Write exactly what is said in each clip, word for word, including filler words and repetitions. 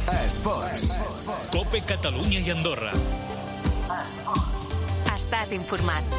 Esports. Cope Catalunya i Andorra. Estàs informat.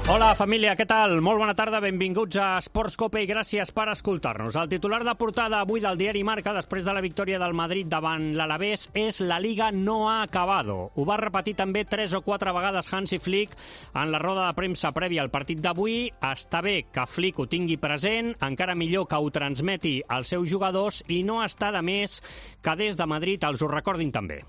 Hola, família, què tal? Molt bona tarda, benvinguts a Esports Cope i gràcies per escoltar-nos. El titular de portada avui del diari Marca, després de la victòria del Madrid davant l'Alavés, és «La Liga no ha acabado». Ho va repetir també tres o quatre vegades Hansi Flick en la roda de premsa prèvia al partit d'avui. Està bé que Flick ho tingui present, encara millor que ho transmeti als seus jugadors i no està de més que des de Madrid els ho recordin també.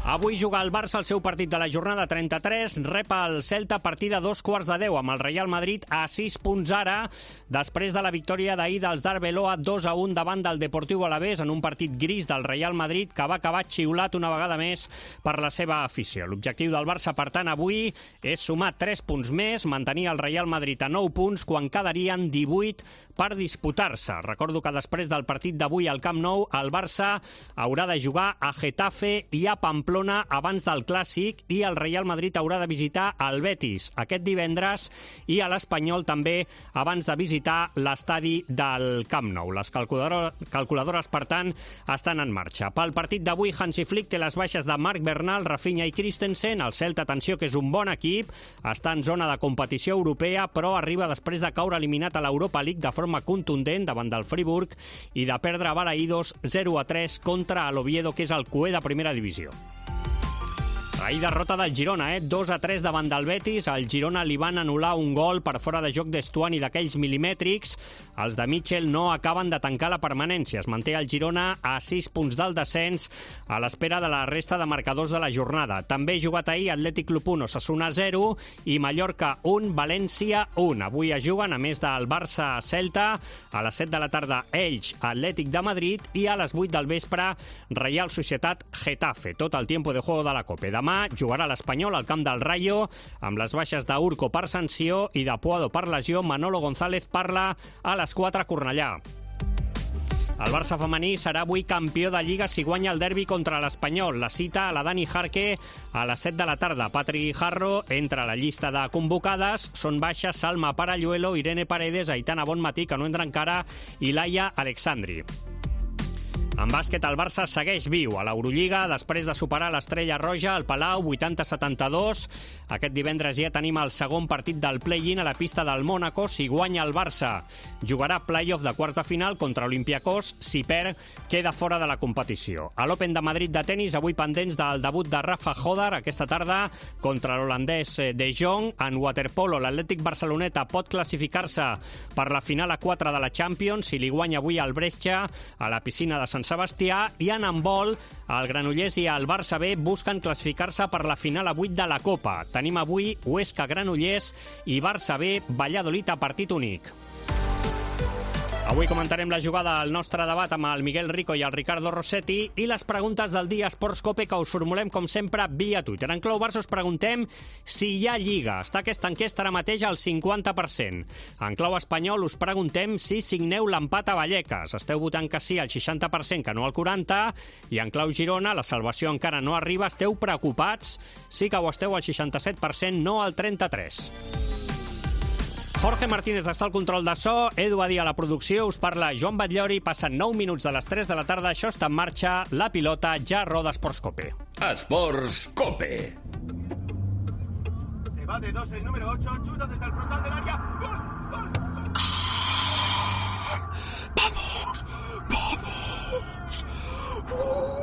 Avui juga el Barça el seu partit de la jornada trenta-tres, rep el Celta a partir de dos quarts de deu, amb el Real Madrid a sis punts ara, després de la victòria d'ahir dels d'Arbeloa dos a un davant del Deportiu Alavés en un partit gris del Real Madrid que va acabar xiulat una vegada més per la seva afició. L'objectiu del Barça, per tant, avui és sumar tres punts més, mantenir el Real Madrid a nou punts quan quedarien divuit per disputar-se. Recordo que després del partit d'avui al Camp Nou, el Barça haurà de jugar a Getafe i a Pamplona abans del Clàssic i el Real Madrid haurà de visitar el Betis aquest divendres i a l'Espanyol també abans de visitar l'estadi del Camp Nou. Les calculadores, calculadores per tant, estan en marxa. Pel partit d'avui, Hansi Flick té les baixes de Marc Bernal, Rafinha i Christensen. El Celta, atenció, que és un bon equip, està en zona de competició europea, però arriba després de caure eliminat a l'Europa League de forma contundent davant del Friburg i de perdre a Balaïdos zero a tres contra l'Oviedo, que és el cué de primera divisió. Ahir derrota del Girona, eh? dos a tres davant del Betis. Al Girona li van anul·lar un gol per fora de joc d'Estuani d'aquells milimètrics. Els de Mitchell no acaben de tancar la permanència. Es manté el Girona a sis punts del descens a l'espera de la resta de marcadors de la jornada. També ha jugat ahir Atlètic Club un, Osasuna zero i Mallorca un, València un. Avui es juguen, a més del Barça-Celta, a les set de la tarda Elx, Atlètic de Madrid i a les vuit del vespre Real Societat-Getafe. Tot el tiempo de juego de la Copa. Demà jugarà l'Espanyol al camp del Rayo amb les baixes d'Urco per sanció i de Puado per lesió. Manolo González parla a les quatre a Cornellà. El Barça femení serà avui campió de Lliga si guanya el derbi contra l'Espanyol. La cita a la Dani Jarque a les set de la tarda. Patri Guijarro entra a la llista de convocades. Són baixes Salma Paralluelo, Irene Paredes, Aitana Bonmatí, que no entra encara, i Laia Alexandri. En bàsquet, el Barça segueix viu a l'Eurolliga després de superar l'Estrella Roja al Palau vuitanta a setanta-dos. Aquest divendres ja tenim el segon partit del play-in a la pista del Mónaco. Si guanya el Barça, jugarà play-off de quarts de final contra Olympiacos. Si perd, queda fora de la competició. A l'Open de Madrid de tenis, avui pendents del debut de Rafa Hodar aquesta tarda contra l'holandès De Jong. En waterpolo, l'Atlètic Barceloneta pot classificar-se per la final a quatre de la Champions si li guanya avui el Brescia a la piscina de Sant Sebastià, i en handbol, el Granollers i el Barça B busquen classificar-se per la final a vuit de la Copa. Tenim avui Huesca Granollers i Barça B Valladolid a partit únic. Avui comentarem la jugada al nostre debat amb el Miguel Rico i el Ricardo Rossetti i les preguntes del dia Esports Cope que us formulem, com sempre, via Twitter. En clau Barça us preguntem si hi ha Lliga. Està aquesta enquesta ara mateix al cinquanta per cent. En clau espanyol us preguntem si signeu l'empat a Vallecas. Esteu votant que sí al seixanta per cent, que no al quaranta per cent. I en clau Girona, la salvació encara no arriba. Esteu preocupats? Sí que ho esteu al seixanta-set per cent, no al trenta-tres per cent. Jorge Martínez està al control de so, Edu Badí a la producció, us parla Joan Batllori, passen nou minuts de les tres de la tarda, això està en marxa, la pilota ja roda Esports Cope. Esports Cope. Se va de dos el número ocho, chuta desde el frontal del área, gol, gol, gol. Ah, vamos, vamos. Uh.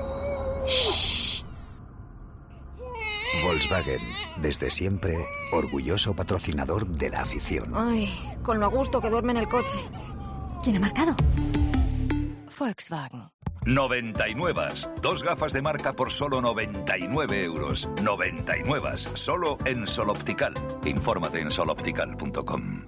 Volkswagen, desde siempre, orgulloso patrocinador de la afición. Ay, con lo a gusto que duerme en el coche. ¿Quién ha marcado? Volkswagen. noventa y nueve. Dos gafas de marca por solo noventa y nueve euros. noventa y nueve. Solo en Sol Optical. Infórmate en sol optical punto com.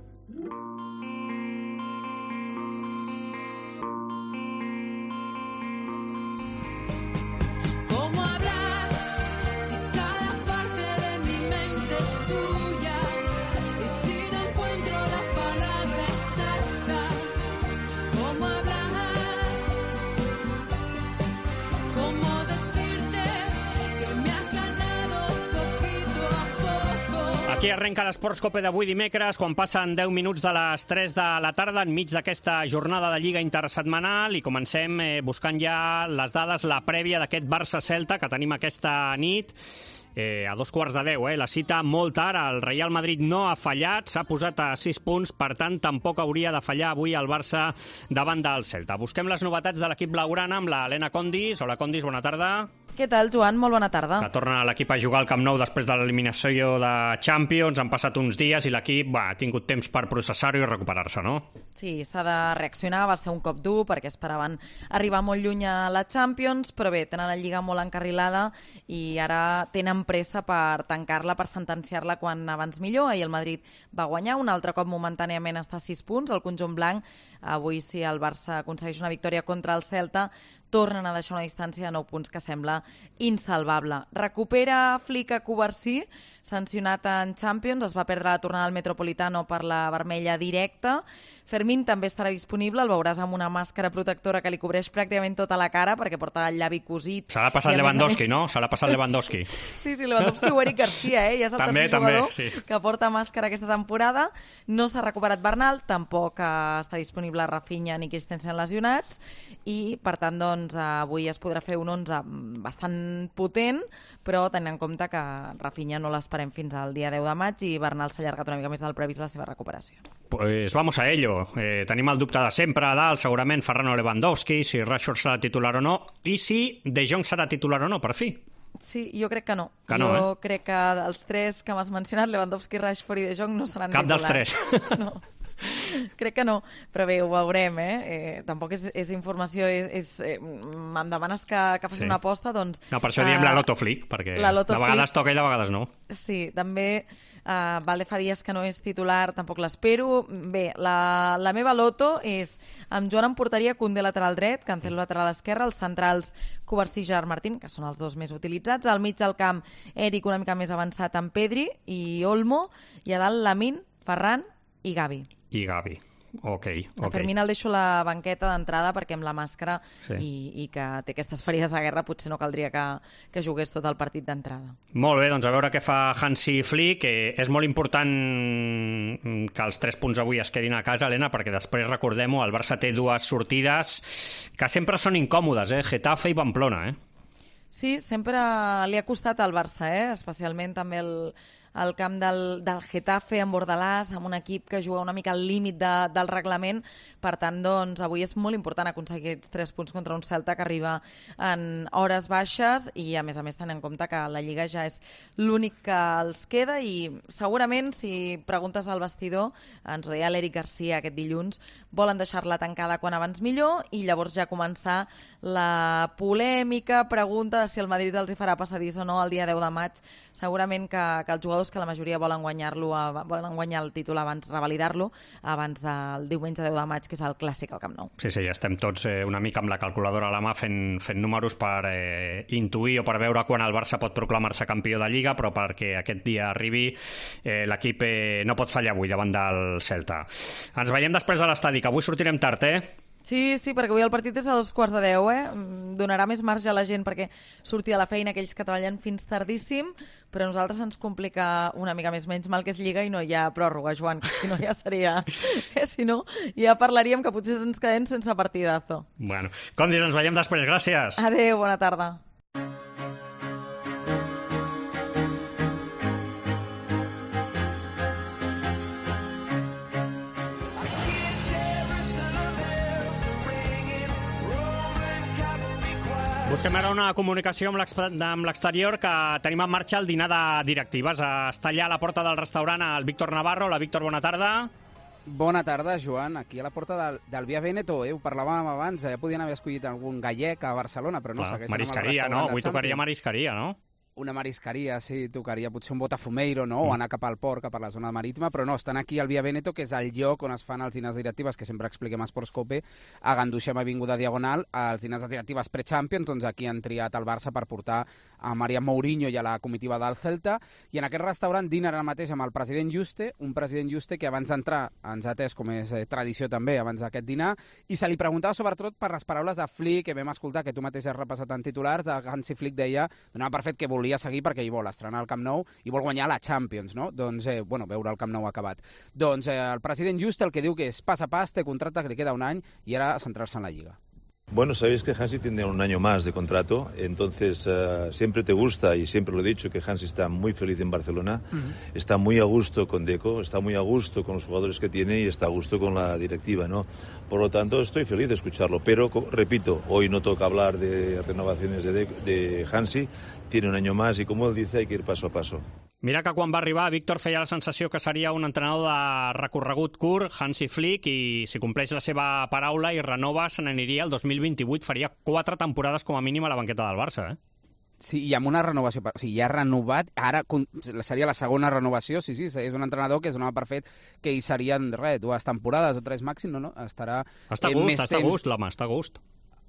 Aquí arrenca l'Esports Cope d'avui dimecres, quan passen deu minuts de les tres de la tarda, enmig d'aquesta jornada de Lliga intersetmanal, i comencem eh, buscant ja les dades, la prèvia d'aquest Barça-Celta que tenim aquesta nit. Eh, a dos quarts de deu, eh? La cita molt tard, el Real Madrid no ha fallat, s'ha posat a sis punts, per tant tampoc hauria de fallar avui el Barça davant del Celta. Busquem les novetats de l'equip blaugrana amb la Helena Condis. Hola Condis, bona tarda. Què tal, Joan? Molt bona tarda. Que torna l'equip a jugar al Camp Nou després de l'eliminació de Champions. Han passat uns dies i l'equip ha tingut temps per processar-ho i recuperar-se, no? Sí, s'ha de reaccionar, va ser un cop dur perquè esperaven arribar molt lluny a la Champions, però bé, tenen la Lliga molt encarrilada i ara tenen pressa per tancar-la, per sentenciar-la quan abans millor. Ahir el Madrid va guanyar, un altre cop momentàniament està a sis punts, el conjunt blanc. Avui, si el Barça aconsegueix una victòria contra el Celta, tornen a deixar una distància de nou punts que sembla insalvable. Recupera Flick a Covarsí, sancionat en Champions, es va perdre la tornada al Metropolitano per la vermella directa. Fermín també estarà disponible, el veuràs amb una màscara protectora que li cobreix pràcticament tota la cara perquè porta el llavi cosit. Se l'ha passat Lewandowski, no? Se l'ha passat Lewandowski. Sí, sí, Lewandowski o Eric Garcia, eh? Ja és el també, tercer també, jugador sí. que porta màscara aquesta temporada. No s'ha recuperat Bernal, tampoc està disponible Rafinha ni Christensen lesionats, i per tant doncs, avui es podrà fer un onze bastant potent, però tenint en compte que Rafinha no l'esperem fins al dia deu de maig i Bernal s'ha allargat una mica més del previst la seva recuperació. Pues vamos a ello. Eh, tenim el dubte de sempre a dalt, segurament Ferran Lewandowski, si Rashford serà titular o no, i si De Jong serà titular o no, per fi. Sí, jo crec que no. Que no, jo eh? crec que els tres que m'has mencionat, Lewandowski, Rashford i De Jong, no seran Cap titulars. dels tres. No. Crec que no, però bé, ho veurem, eh? eh tampoc és, és informació, és, és, eh, em demanes que, que faci Sí. una aposta, doncs... No, per això diem eh, la Loto Flick, perquè la Loto de vegades Flick. toca i de vegades no. Sí, també uh, Valde fa dies que no és titular, tampoc l'espero. Bé, la, la meva loto és amb Joan en porteria, Koundé lateral dret, Cancelo lateral esquerre, els centrals Covarsí i Gerard Martín, que són els dos més utilitzats, al mig del camp Eric una mica més avançat amb Pedri i Olmo, i a dalt Lamine, Ferran i Gavi. I Gavi. Ok, A ok. Fermín el deixo a la banqueta d'entrada perquè amb la màscara Sí. i, i que té aquestes ferides de guerra potser no caldria que, que jugués tot el partit d'entrada. Molt bé, doncs a veure què fa Hansi Flick. Eh, és molt important que els tres punts avui es quedin a casa, Helena, perquè després, recordem-ho, el Barça té dues sortides que sempre són incòmodes, eh? Getafe i Pamplona, eh? Sí, sempre li ha costat al Barça, eh? Especialment també el, el camp del, del Getafe en Bordalàs, amb un equip que juga una mica al límit de, del reglament. Per tant, doncs, avui és molt important aconseguir aquests tres punts contra un Celta que arriba en hores baixes i, a més a més, tenint en compte que la Lliga ja és l'únic que els queda i segurament, si preguntes al vestidor, ens ho deia l'Eric Garcia aquest dilluns, volen deixar-la tancada quan abans millor i llavors ja començar la polèmica pregunta de si el Madrid els hi farà passadís o no el dia deu de maig. Segurament que, que els jugadors que la majoria volen guanyar-lo, volen guanyar el títol abans, revalidar-lo, abans del diumenge deu de maig, que és el clàssic al Camp Nou. Sí, sí, estem tots eh, una mica amb la calculadora a la mà fent, fent números per eh, intuir o per veure quan el Barça pot proclamar-se campió de Lliga, però perquè aquest dia arribi eh, l'equip eh, no pot fallar avui davant del Celta. Ens veiem després de l'estadi, que avui sortirem tard, eh? Sí, sí, perquè avui el partit és a dos quarts de deu, eh? Donarà més marge a la gent perquè surti a la feina aquells que treballen fins tardíssim, però a nosaltres ens complica una mica més, menys mal que és Lliga i no hi ha pròrroga, Joan, que si no ja seria... Eh? Si no, ja parlaríem que potser ens quedem sense partidazo. Bueno, Condis, ens veiem després, gràcies. Adéu, bona tarda. Busquem ara una comunicació amb l'exterior, que tenim en marxa el dinar de directives. Està allà a la porta del restaurant el Víctor Navarro. Hola, Víctor, bona tarda. Bona tarda, Joan. Aquí a la porta del, del Via Veneto, eh? Ho parlàvem abans, ja podien haver escollit algun gallec a Barcelona, però no, Clar, segueixen marisqueria, no? Avui tocaria marisqueria, no? Una marisqueria, sí, tocaria potser un botafumeiro, no? Mm. O anar cap al port, cap a la zona marítima, però no, estan aquí al Via Veneto, que és el lloc on es fan els dinars directives, que sempre expliquem a Esports Cope, a Ganduixem Avinguda Diagonal, els dinars directives pre-Champions, doncs aquí han triat el Barça per portar a María Mourinho i a la comitiva del Celta, i en aquest restaurant dinen ara mateix amb el president Juste, un president Juste que abans d'entrar ens ha atès, com és eh, tradició també, abans d'aquest dinar, i se li preguntava sobretot per les paraules de Flick, que vam escoltar, que tu mateix has repassat en titulars, de Hansi Flick deia, donava per fet que volia volia seguir perquè hi vol estrenar el Camp Nou i vol guanyar la Champions, no? Doncs, eh, bueno, veure el Camp Nou acabat. Doncs eh, el president Juste el que diu que és pas a pas, té contracte que li queda un any i ara centrar-se en la Lliga. Bueno, sabéis que Hansi tiene un año más de contrato, entonces uh, siempre te gusta, y siempre lo he dicho, que Hansi está muy feliz en Barcelona, uh-huh. está muy a gusto con Deco, está muy a gusto con los jugadores que tiene y está a gusto con la directiva, ¿no? Por lo tanto, estoy feliz de escucharlo, pero, repito, hoy no toca hablar de renovaciones de, de, de Hansi, tiene un año más y, como él dice, hay que ir paso a paso. Mira que quan va arribar, Víctor feia la sensació que seria un entrenador de recorregut curt, Hansi Flick, i si compleix la seva paraula i renova, se n'aniria el dos mil vint-i-vuit, faria quatre temporades com a mínim a la banqueta del Barça, eh? Sí, i amb una renovació, o sigui, ja ha renovat, ara seria la segona renovació, sí, sí, és un entrenador que es donava per fet que hi serien, res, dues temporades o tres màxim, no, no, estarà... Està a gust, està a gust, l'home, està a gust.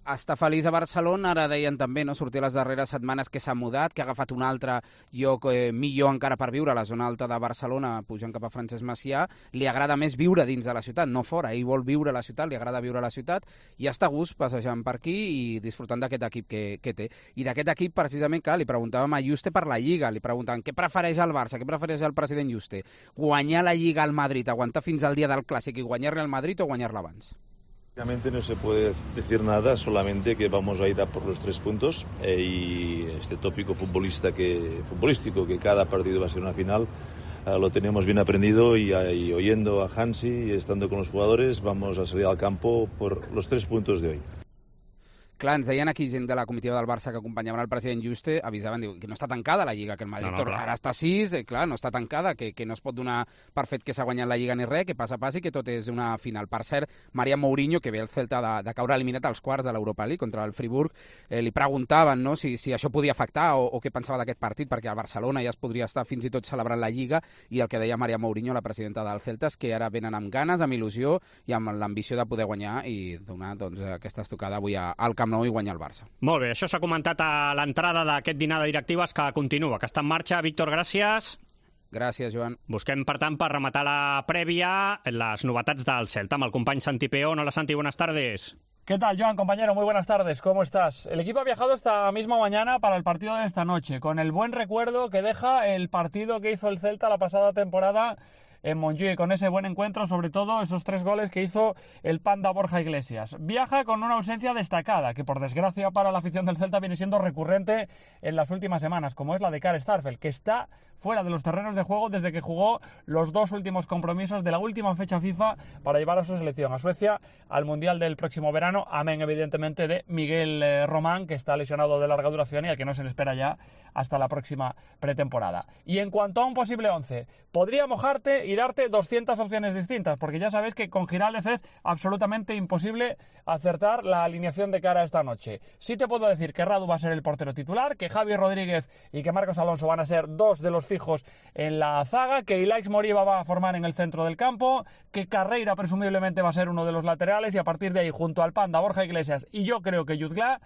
Està feliç a Barcelona, ara deien també, no, sortir les darreres setmanes que s'ha mudat, que ha agafat un altre lloc eh, millor encara per viure a la zona alta de Barcelona, pujant cap a Francesc Macià. Li agrada més viure dins de la ciutat, no fora, ell vol viure a la ciutat, li agrada viure a la ciutat, i està a gust passejant per aquí i disfrutant d'aquest equip que, que té. I d'aquest equip, precisament, que li preguntàvem a Juste per la Lliga, li preguntaven què prefereix el Barça, què prefereix el president Juste, guanyar la Lliga al Madrid, aguantar fins al dia del Clàssic i guanyar-li al Madrid o guanyar-la abans? Realmente no se puede decir nada, solamente que vamos a ir a por los tres puntos eh, y este tópico futbolista que, futbolístico que cada partido va a ser una final eh, lo tenemos bien aprendido y, y oyendo a Hansi y estando con los jugadores vamos a salir al campo por los tres puntos de hoy. Clar, ens deien aquí gent de la comitiva del Barça que acompanyaven el president Juste, avisaven, diu, que no està tancada la Lliga, que el Madrid no, no, ara està a sis, eh, clar, no està tancada, que, que no es pot donar per fet que s'ha guanyat la Lliga ni res, que passa a pas i que tot és una final. Per cert, María Mourinho, que ve el Celta de, de caure eliminat als quarts de l'Europa League contra el Friburg, eh, li preguntaven, no, si, si això podia afectar o, o què pensava d'aquest partit, perquè al Barcelona ja es podria estar fins i tot celebrant la Lliga, i el que deia María Mourinho, la presidenta del Celta, és que ara venen amb ganes, amb il·lusió i amb l'ambició de poder guanyar i donar doncs, aquesta estocada avui al Camp Nou i guanyar el Barça. Molt bé, això s'ha comentat a l'entrada d'aquest dinar de directives que continua, que està en marxa. Víctor, gràcies. Gràcies, Joan. Busquem, per tant, per rematar la prèvia, les novetats del Celta amb el company Santi Peón. Hola, Santi, buenas tardes. ¿Qué tal, Joan, compañero? Muy buenas tardes, ¿cómo estás? El equipo ha viajado esta misma mañana para el partido de esta noche, con el buen recuerdo que deja el partido que hizo el Celta la pasada temporada en Montjuïc, con ese buen encuentro, sobre todo esos tres goles que hizo el Panda Borja Iglesias. Viaja con una ausencia destacada, que por desgracia para la afición del Celta viene siendo recurrente en las últimas semanas, como es la de Karl Starfelt, que está fuera de los terrenos de juego desde que jugó los dos últimos compromisos de la última fecha FIFA para llevar a su selección, a Suecia, al Mundial del próximo verano, amén evidentemente de Miguel eh, Román, que está lesionado de larga duración y al que no se le espera ya hasta la próxima pretemporada. Y en cuanto a un posible once, podría mojarte y darte doscientas opciones distintas, porque ya sabéis que con Giraldez es absolutamente imposible acertar la alineación de cara a esta noche. Sí te puedo decir que Radu va a ser el portero titular, que Javi Rodríguez y que Marcos Alonso van a ser dos de los fijos en la zaga, que Ilaix Moriba va a formar en el centro del campo, que Carreira presumiblemente va a ser uno de los laterales y a partir de ahí, junto al Panda, Borja Iglesias y yo creo que Jutgla,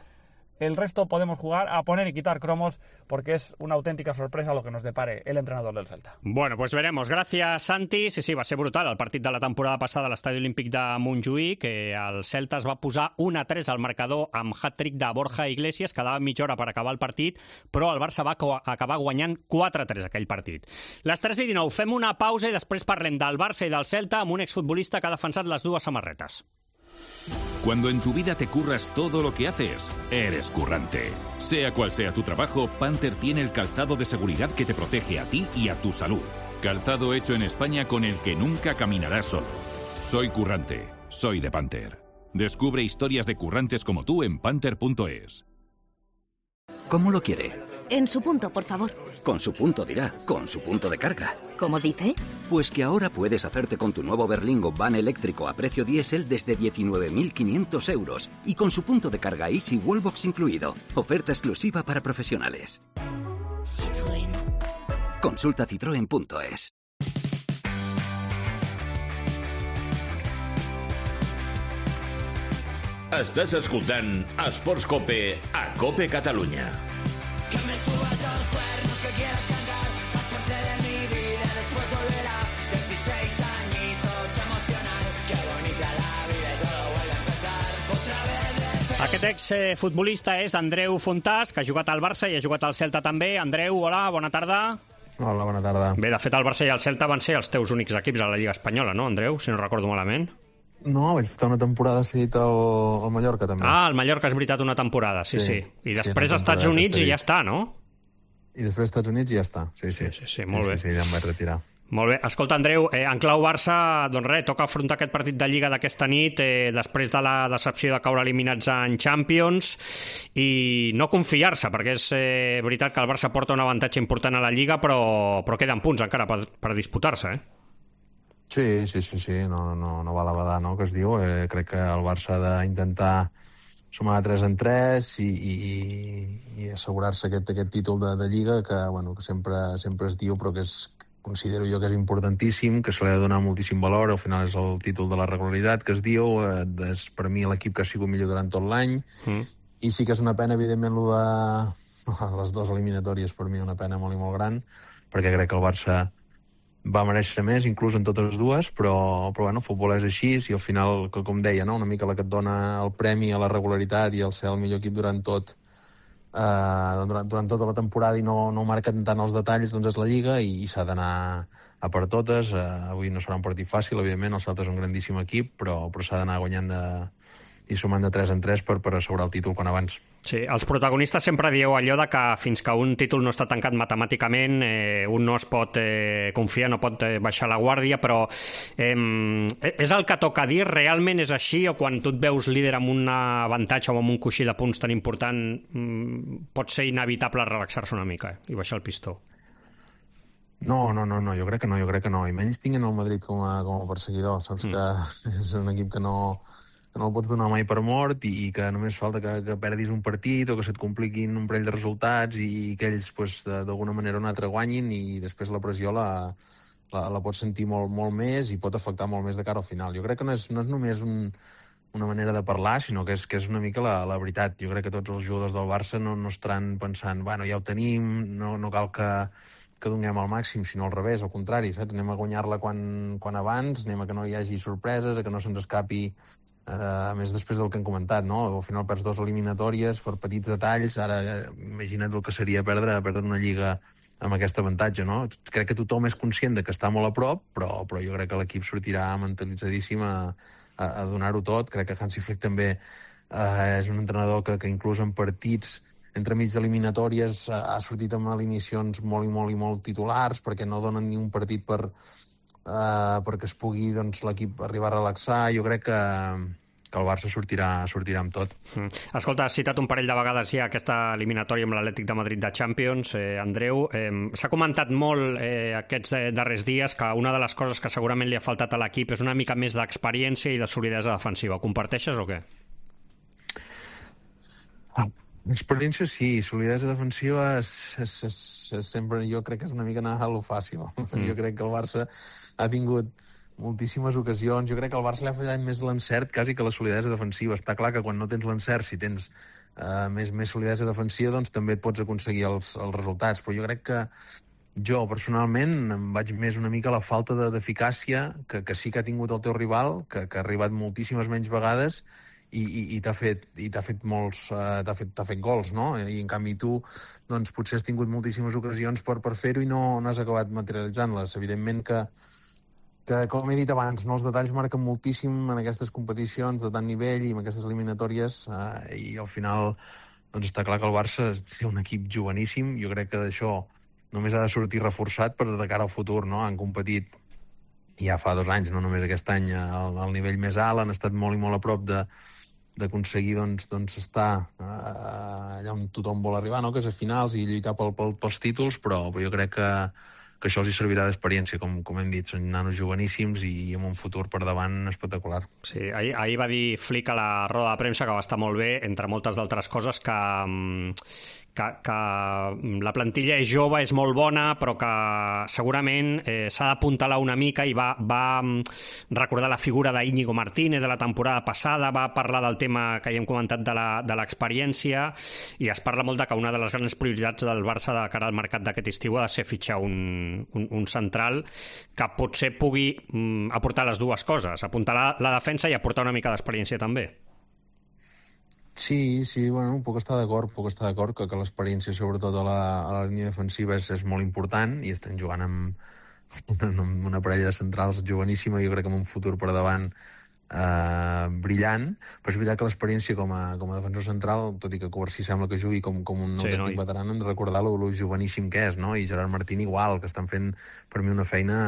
el resto podemos jugar a poner y quitar cromos porque es una auténtica sorpresa lo que nos depare el entrenador del Celta. Bueno, pues veremos. Gràcies, Santi. Sí, sí, va ser brutal el partit de la temporada passada a l'Estadi Olímpic de Montjuïc, que el Celta es va posar un a tres al marcador amb hat-trick de Borja Iglesias, quedava mitja hora per acabar el partit, però el Barça va acabar guanyant quatre a tres aquell partit. Les tres i dinou, fem una pausa i després parlem del Barça i del Celta amb un exfutbolista que ha defensat les dues samarretes. Cuando en tu vida te curras todo lo que haces, eres currante. Sea cual sea tu trabajo, Panther tiene el calzado de seguridad que te protege a ti y a tu salud. Calzado hecho en España con el que nunca caminarás solo. Soy currante, soy de Panther. Descubre historias de currantes como tú en panther punto es. ¿Cómo lo quiere? En su punto, por favor. Con su punto dirá, con su punto de carga. ¿Cómo dice? Pues que ahora puedes hacerte con tu nuevo Berlingo van eléctrico a precio diésel desde diecinueve mil quinientos euros y con su punto de carga Easy Wallbox incluido. Oferta exclusiva para profesionales. Citroën. Consulta citroen punto es. Estàs escoltant Esports Cope a Cope Catalunya. Que me subas a los cuernos que quieras cantar, la suerte de mi vida después volverá. dieciséis añitos emocional, qué bonita la vida y todo vuelve a empezar. Otra vez de Aquest ex-futbolista és Andreu Fontàs, que ha jugat al Barça i ha jugat al Celta també. Andreu, hola, bona tarda. Hola, bona tarda. Bé, de fet, el Barça i el Celta van ser els teus únics equips a la Lliga Espanyola, no, Andreu? Si no recordo malament. No, vaig estar una temporada cedit al, al Mallorca, també. Ah, el Mallorca has veritat una temporada, sí, sí. sí. I després sí, als Estats Units i ja està, no? I després als Estats Units i ja està, sí, sí. Sí, sí, sí molt sí, bé. Sí, sí, ja em vaig retirar. Molt bé. Escolta, Andreu, eh, en clau Barça, doncs res, toca afrontar aquest partit de Lliga d'aquesta nit eh, després de la decepció de caure eliminats en Champions i no confiar-se, perquè és eh, veritat que el Barça porta un avantatge important a la Lliga, però, però queden punts encara per, per disputar-se, eh? Sí, sí, sí, sí. No, no, no val a badar, no?, que es diu. Eh, crec que el Barça ha d'intentar sumar de tres en tres i, i, i assegurar-se aquest, aquest títol de, de Lliga que, bueno, que sempre, sempre es diu, però que és, considero jo que és importantíssim, que se li ha de donar moltíssim valor. Al final és el títol de la regularitat que es diu, eh, és per mi l'equip que ha sigut millor durant tot l'any, mm. i sí que és una pena, evidentment, lo de les dues eliminatòries, per mi una pena molt i molt gran, perquè crec que el Barça va mereixer més, inclús en totes dues, però, però bueno, el futbol és així, i al final, com deia, no?, una mica la que et dona el premi a la regularitat i el ser el millor equip durant tot, Uh, durant, durant tota la temporada i no, no marquen tant els detalls, doncs és la Lliga i, i s'ha d'anar a per totes. Uh, avui no serà un partit fàcil, evidentment, el Celta és un grandíssim equip, però, però s'ha d'anar guanyant de, i sumant de tres en tres per, per assegurar el títol quan abans. Sí, els protagonistes sempre dieu allò de que fins que un títol no està tancat matemàticament eh, un no es pot eh, confiar, no pot eh, baixar la guàrdia, però eh, és el que toca dir? Realment és així? O quan tu et veus líder amb un avantatge o amb un coixí de punts tan important mm, pot ser inevitable relaxar-se una mica eh, i baixar el pistó? No, no, no, no, jo crec que no, jo crec que no. I menys tinguin el Madrid com a, com a perseguidor, saps mm. que és un equip que no... que no el pots donar mai per mort i, i que només falta que, que perdis un partit o que se't compliquin un parell de resultats i que ells pues, d'alguna manera o una altra guanyin i després la pressió la, la, la pots sentir molt, molt més i pot afectar molt més de cara al final. Jo crec que no és, no és només un, una manera de parlar, sinó que és, que és una mica la, la veritat. Jo crec que tots els jugadors del Barça no, no estaran pensant, bueno, ja ho tenim, no, no cal que, que donem al màxim, sinó al revés, al contrari, saps? Anem a guanyar-la quan, quan abans, anem a que no hi hagi sorpreses, a que no se'ns escapi, eh, a més després del que hem comentat, no? Al final perds dos eliminatòries per petits detalls, ara eh, imagina't el que seria perdre, perdre una lliga amb aquest avantatge, no? Crec que tothom és conscient de que està molt a prop, però, però jo crec que l'equip sortirà mentalitzadíssim a, a, a donar-ho tot. Crec que Hansi Flick també eh, és un entrenador que, que inclús en partits entremig eliminatòries ha sortit amb alineacions molt i molt i molt titulars perquè no donen ni un partit per, uh, perquè es pugui doncs, l'equip arribar a relaxar. Jo crec que, que el Barça sortirà, sortirà amb tot. Mm. Escolta, has citat un parell de vegades ja aquesta eliminatòria amb l'Atlètic de Madrid de Champions, eh, Andreu. Eh, s'ha comentat molt eh, aquests eh, darrers dies que una de les coses que segurament li ha faltat a l'equip és una mica més d'experiència i de solidesa defensiva. Ho comparteixes o què? Ah. Experiència sí, solidesa defensiva és, és, és, és sempre, jo crec que és una mica anar a lo fàcil. Mm. Jo crec que el Barça ha tingut moltíssimes ocasions, jo crec que el Barça li ha fallat més l'encert quasi que la solidesa defensiva. Està clar que quan no tens l'encert, si tens uh, més, més solidesa defensiva, doncs també et pots aconseguir els, els resultats, però jo crec que jo personalment em vaig més una mica a la falta d'eficàcia que, que sí que ha tingut el teu rival, que, que ha arribat moltíssimes menys vegades i, i, i t'ha fet, i t'ha fet molts uh, t'ha fet, t'ha fet gols, no? I en canvi tu doncs potser has tingut moltíssimes ocasions per, per fer-ho i no, no has acabat materialitzant-les. Evidentment que, que, com he dit abans, no, els detalls marquen moltíssim en aquestes competicions de tant nivell i en aquestes eliminatòries uh, i al final doncs està clar que el Barça té un equip joveníssim. Jo crec que d'això només ha de sortir reforçat per de cara al futur, no? Han competit ja fa dos anys, no només aquest any, al, al nivell més alt, han estat molt i molt a prop de d'aconseguir doncs, doncs estar uh, allà on tothom vol arribar, no? Que és a finals i lluitar pel, pel, pels títols, però, però jo crec que, que això els hi servirà d'experiència, com, com hem dit, són nanos joveníssims i, i amb un futur per davant espectacular. Sí, ahir, ahir va dir Flick a la roda de premsa que va estar molt bé, entre moltes d'altres coses, que, que, que la plantilla és jove, és molt bona, però que segurament eh, s'ha d'apuntalar una mica i va, va recordar la figura d'Íñigo Martínez de la temporada passada, va parlar del tema que ja hem comentat de l'experiència i es parla molt de que una de les grans prioritats del Barça de cara al mercat d'aquest estiu ha de ser fitxar un, un, un central que potser pugui mm, aportar les dues coses, apuntar la, la defensa i aportar una mica d'experiència també. Sí, sí, bueno, puc estar d'acord, puc estar d'acord que, que l'experiència, sobretot a la, a la línia defensiva, és, és molt important i estan jugant amb una, amb una parella de centrals joveníssima, jo crec que amb un futur per davant eh, brillant, però és veritat que l'experiència com a, com a defensor central, tot i que Covarsí sembla que jugui com, com un sí, autèntic no? veterà, hem de recordar lo, lo joveníssim que és, no? I Gerard Martín igual, que estan fent per mi una feina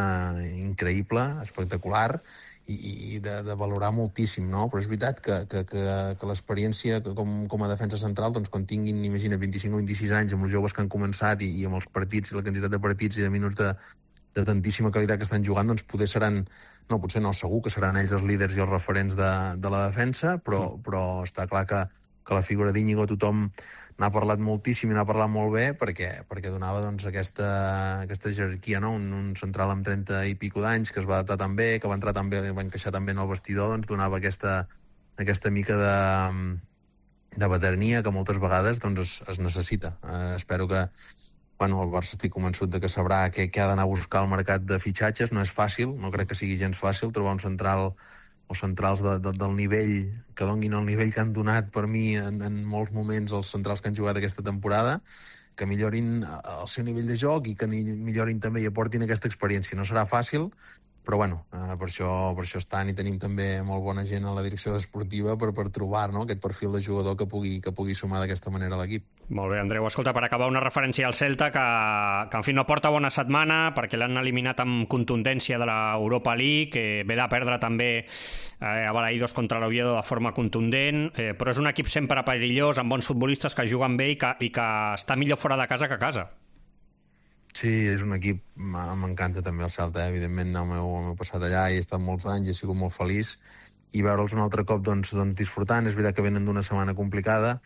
increïble, espectacular, i de, de valorar moltíssim, no? Però és veritat que, que, que, que l'experiència com, com a defensa central, doncs quan tinguin, imagina, vint-i-cinc o vint-i-sis anys, amb els joves que han començat i, i amb els partits i la quantitat de partits i de minuts de, de tantíssima qualitat que estan jugant, doncs poder seran, no, potser no, segur que seran ells els líders i els referents de, de la defensa, però, però està clar que, que la figura d'Íñigo tothom n'ha parlat moltíssim i n'ha parlat molt bé perquè, perquè donava doncs, aquesta, aquesta jerarquia, no? un, un central amb trenta i pico d'anys que es va adaptar tan bé, que va entrar tan bé, va encaixar tan bé en el vestidor, doncs donava aquesta, aquesta mica de, de veterania que moltes vegades doncs, es, es necessita. Eh, espero que bueno, el Barça estic convençut de que sabrà què, què ha d'anar a buscar al mercat de fitxatges. No és fàcil, no crec que sigui gens fàcil trobar un central o centrals de, de, del nivell, que donguin el nivell que han donat per mi en, en molts moments els centrals que han jugat aquesta temporada, que millorin el seu nivell de joc i que millorin també i aportin aquesta experiència. No serà fàcil, però bueno, eh, per, això, per això estan i tenim també molt bona gent a la direcció esportiva per, per trobar no, aquest perfil de jugador que pugui, que pugui sumar d'aquesta manera a l'equip. Molt bé, Andreu. Escolta, per acabar una referència al Celta que, que en fi, no porta bona setmana perquè l'han eliminat amb contundència de l'Europa League, que ve de perdre també eh, a Balaïdos contra l'Oviedo de forma contundent, eh, però és un equip sempre perillós, amb bons futbolistes que juguen bé i que, i que està millor fora de casa que a casa. Sí, és un equip, m'encanta també el Celta, eh? Evidentment el meu, el meu passat allà i he estat molts anys i he sigut molt feliç i veure'ls un altre cop doncs, doncs disfrutant. És veritat que venen d'una setmana complicada,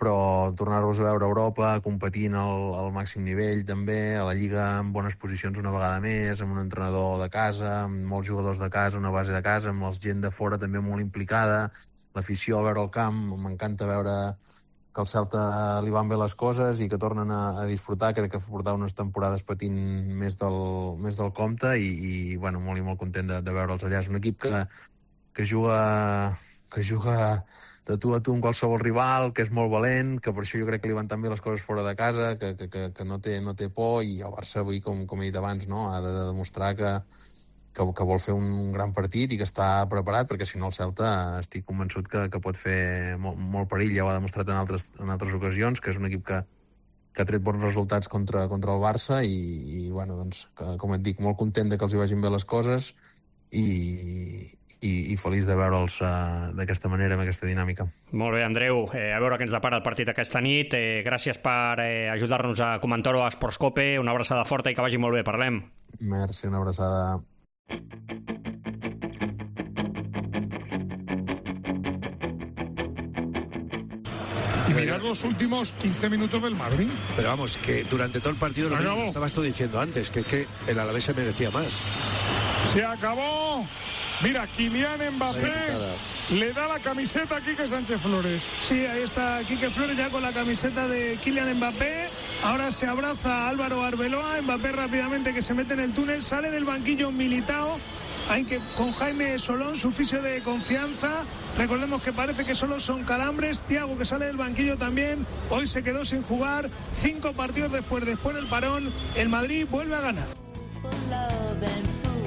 però tornar-los a veure a Europa competint al, al màxim nivell també, a la Lliga en bones posicions una vegada més, amb un entrenador de casa, amb molts jugadors de casa, una base de casa, amb la gent de fora també molt implicada, l'afició a veure el camp, m'encanta veure que al Celta li van bé les coses i que tornen a, a disfrutar. Crec que portava unes temporades patint més del, més del compte i, i bueno, molt i molt content de, de veure'ls allà. És un equip que, que juga que juga de tu a tu amb qualsevol rival, que és molt valent, que per això jo crec que li van tan bé les coses fora de casa, que, que, que, que no, té, no té por, i el Barça avui, com, com he dit abans, no? ha de, de demostrar que, que, que vol fer un gran partit i que està preparat, perquè si no el Celta estic convençut que, que pot fer molt, molt perill. Ja ho ha demostrat en altres, en altres ocasions, que és un equip que, que ha tret bons resultats contra, contra el Barça i, i bueno, doncs, que, com et dic, molt content de que els hi vagin bé les coses i, i, i feliç de veure'ls uh, d'aquesta manera, amb aquesta dinàmica. Molt bé, Andreu, eh, a veure què ens depara el partit aquesta nit. Eh, gràcies per eh, ajudar-nos a comentar-ho a Sportscope. Una abraçada forta i que vagi molt bé. Parlem. Merci, una abraçada. Y mirad los últimos quince minutos del Madrid. Pero vamos, que durante todo el partido lo mismo estabas tú diciendo antes, que es que el Alavés se merecía más. Se acabó. Mira, Kylian Mbappé le da la camiseta a Quique Sánchez Flores. Sí, ahí está Quique Flores ya con la camiseta de Kylian Mbappé. Ahora se abraza a Álvaro Arbeloa. Mbappé rápidamente que se mete en el túnel. Sale del banquillo Militao. Hay que con Jaime Solón, su fisio de confianza. Recordemos que parece que solo son calambres. Thiago, que sale del banquillo también. Hoy se quedó sin jugar. Cinco partidos después, después del parón, el Madrid vuelve a ganar.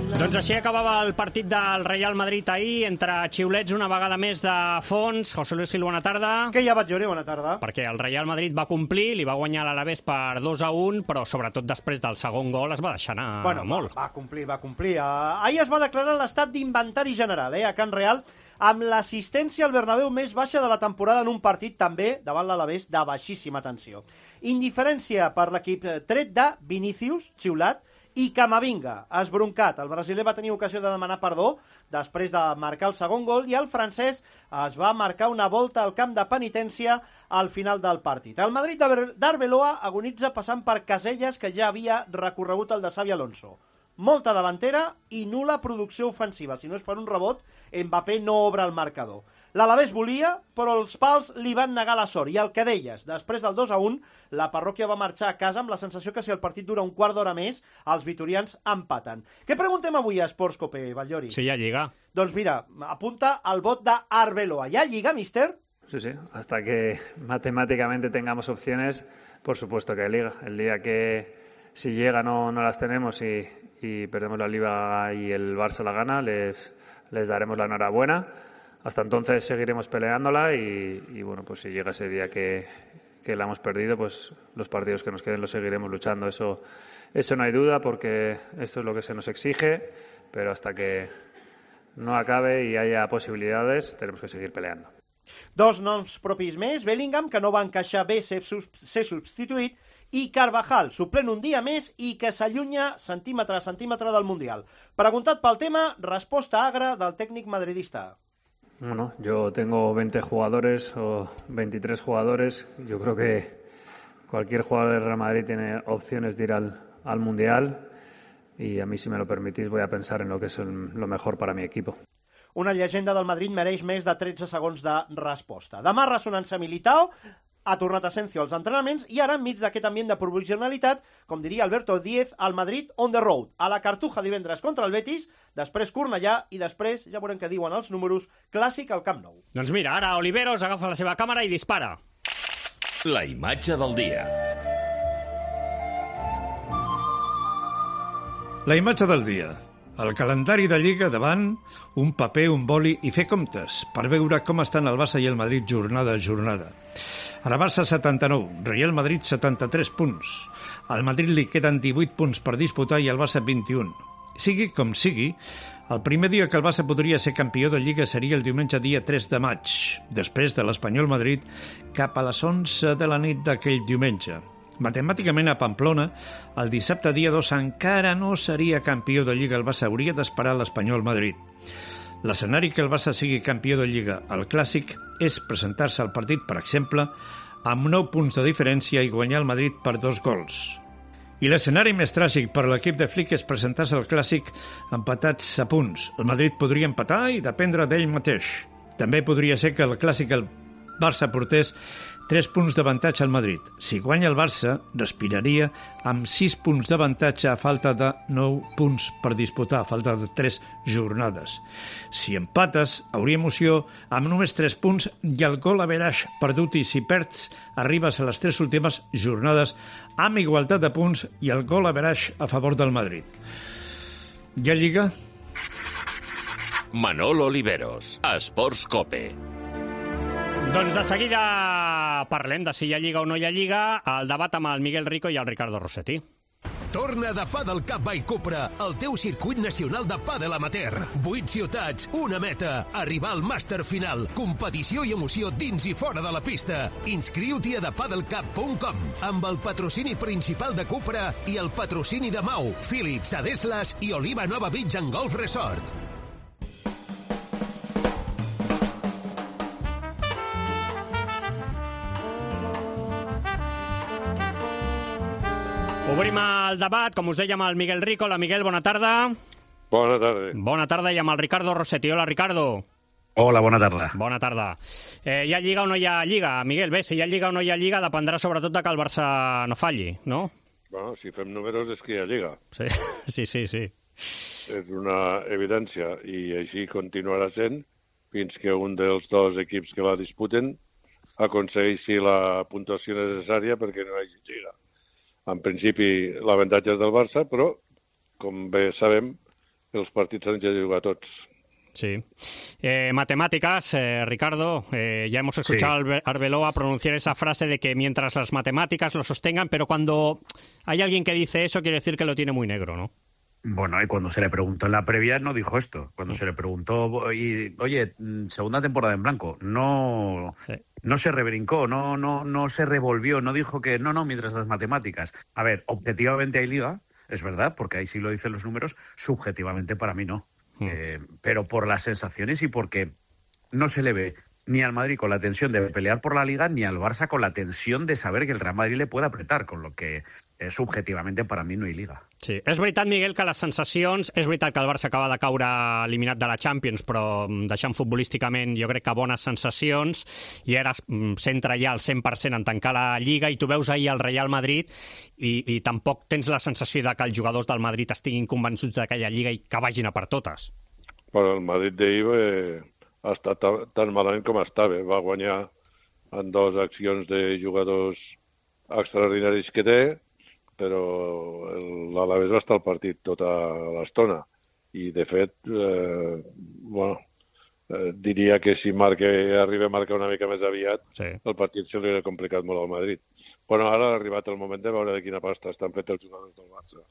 Doncs així acabava el partit del Real Madrid ahir, entre xiulets una vegada més de fons. José Luis Gil, bona tarda. Que ja vaig llorar, bona tarda. Perquè el Real Madrid va complir, li va guanyar l'Alavés per dos a un, però sobretot després del segon gol es va deixar anar bueno, molt. Va, va complir, va complir. Uh, ahir es va declarar l'estat d'inventari general eh, a Can Real, amb l'assistència al Bernabéu més baixa de la temporada en un partit també davant l'Alavés de baixíssima tensió. Indiferència per l'equip tret de Vinícius, xiulat, i Camavinga, esbroncat. El brasiler va tenir ocasió de demanar perdó després de marcar el segon gol i el francès es va marcar una volta al camp de penitència al final del partit. El Madrid d'Arbeloa agonitza passant per Casellas, que ja havia recorregut el de Xabi Alonso. Molta davantera i nul·la producció ofensiva. Si no és per un rebot, Mbappé no obre el marcador. L'Alavés volia, però els pals li van negar la sort. I el que deies, després del dos a un, la parròquia va marxar a casa amb la sensació que si el partit dura un quart d'hora més, els vitorians empaten. Què preguntem avui a Sportscope, Batllori? Si hi ha lliga. Doncs mira, apunta el vot d'Arbeloa. Hi ha lliga, míster? sí, sí. Hasta que matemáticamente tengamos opciones, por supuesto que hay liga. El día que si llega no, no las tenemos y, y perdemos la liga y el Barça la gana, les, les daremos la enhorabuena. Hasta entonces seguiremos peleándola y, y bueno, pues si llega ese día que, que la hemos perdido, pues los partidos que nos queden los seguiremos luchando. Eso, eso no hay duda, porque esto es lo que se nos exige, pero hasta que no acabe y haya posibilidades, tenemos que seguir peleando. Dos noms propis més, Bellingham, que no va encaixar bé ser, ser substituït, i Carvajal, suplent un dia més i que s'allunya centímetre a centímetre del Mundial. Preguntat pel tema, resposta agra del tècnic madridista. Bueno, yo tengo veinte jugadores o veintitrés jugadores. Yo creo que cualquier jugador del Real Madrid tiene opciones de ir al, al Mundial y a mí, si me lo permitís, voy a pensar en lo que es el, lo mejor para mi equipo. Una llegenda del Madrid mereix més de tretze segons de resposta. Demà ressonança Militao, ha tornat Asensio als entrenaments i ara, enmig d'aquest ambient de provisionalitat, com diria Alberto Díez, al Madrid on the road, a la Cartuja divendres contra el Betis, després Cornellà i després, ja veurem què diuen els números, clàssic al Camp Nou. Doncs mira, ara Oliveros agafa la seva càmera i dispara. La imatge del dia. La imatge del dia. El calendari de Lliga davant, un paper, un boli i fer comptes per veure com estan el Barça i el Madrid jornada a jornada. A la Barça setanta-nou, Real Madrid setanta-tres punts. Al Madrid li queden divuit punts per disputar i al Barça vint-i-un. Sigui com sigui, el primer dia que el Barça podria ser campió de Lliga seria el diumenge dia tres de maig, després de l'Espanyol Madrid, cap a les onze de la nit d'aquell diumenge. Matemàticament, a Pamplona, el dissabte dia dos encara no seria campió de Lliga. El Barça hauria d'esperar l'Espanyol Madrid. L'escenari que el Barça sigui campió de Lliga al Clàssic és presentar-se al partit, per exemple, amb nou punts de diferència i guanyar el Madrid per dos gols. I l'escenari més tràgic per a l'equip de Flick és presentar-se al Clàssic empatats a punts. El Madrid podria empatar i dependre d'ell mateix. També podria ser que el Clàssic el Barça portés tres punts d'avantatge al Madrid. Si guanya el Barça, respiraria amb sis punts d'avantatge a falta de nou punts per disputar, a falta de tres jornades. Si empates, hauria emoció amb només tres punts i el gol average perdut, i si perds, arribes a les tres últimes jornades amb igualtat de punts i el gol average a favor del Madrid. Hi ha Lliga? Manol Oliveros, Esports Cope. Doncs de seguida parlem de si hi ha Lliga o no hi ha Lliga, el debat amb el Miguel Rico i el Ricardo Rossetti. Torna de Padel Cup by Cupra, el teu circuit nacional de pàdel amateur. Vuit ciutats, una meta, arribar al màster final, competició i emoció dins i fora de la pista. Inscriu-t'hi a the padel cup punt com, amb el patrocini principal de Cupra i el patrocini de Mau, Philips, Adeslas i Oliva Nova Beach and Golf Resort. Obrim el debat, com us deia, amb el Miguel Rico. Hola, Miguel, bona tarda. Bona tarda. Bona tarda, i amb el Ricardo Rossetti. Hola, Ricardo. Hola, bona tarda. Bona tarda. Eh, hi ha Lliga o no hi ha Lliga? Miguel, bé, si hi ha Lliga o no hi ha Lliga dependrà sobretot de que el Barça no falli, no? Bueno, si fem números és que hi ha Lliga. Sí, sí, sí. sí. És una evidència, i així continuarà sent fins que un dels dos equips que la disputen aconsegueixi la puntuació necessària perquè no hi hagi Lliga. En principi, l'avantatge és del Barça, però, com bé sabem, els partits s'han de jugar tots. Sí. Eh, matemáticas, eh, Ricardo, eh, ya hemos escuchado sí. a Arbeloa pronunciar esa frase de que mientras las matemáticas lo sostengan, pero cuando hay alguien que dice eso, quiere decir que lo tiene muy negro, ¿no? Bueno, y cuando se le preguntó en la previa no dijo esto. Cuando se le preguntó, y, oye, segunda temporada en blanco, no, sí. no se rebrincó, no, no, no se revolvió, no dijo que no, no, mientras las matemáticas. A ver, objetivamente hay Liga, es verdad, porque ahí sí lo dicen los números, subjetivamente para mí no. Mm. Eh, pero por las sensaciones y porque no se le ve ni al Madrid con la tensión de pelear por la Liga, ni al Barça con la tensión de saber que el Real Madrid le puede apretar, con lo que eh, subjetivamente para mi no hi Liga. Sí, és veritat, Miguel, que les sensacions... És veritat que el Barça acaba de caure eliminat de la Champions, però deixant futbolísticament jo crec que bones sensacions, i ara centra ja al cent per cent en tancar la Lliga, i tu veus ahir el Real Madrid i, i tampoc tens la sensació de que els jugadors del Madrid estiguin convençuts d'aquella Lliga i que vagin a per totes. Bueno, el Madrid d'ahir eh, ha estat tan malament com estava. Va guanyar en dues accions de jugadors extraordinaris que té, però l'Alavés va estar al partit tota l'estona. I, de fet, eh, bueno, eh, diria que si marca, arriba a marcar una mica més aviat, sí. el partit se li ha complicat molt al Madrid. Bueno, ara ha arribat el moment de veure de quina pasta estan fets els jugadors del Barça.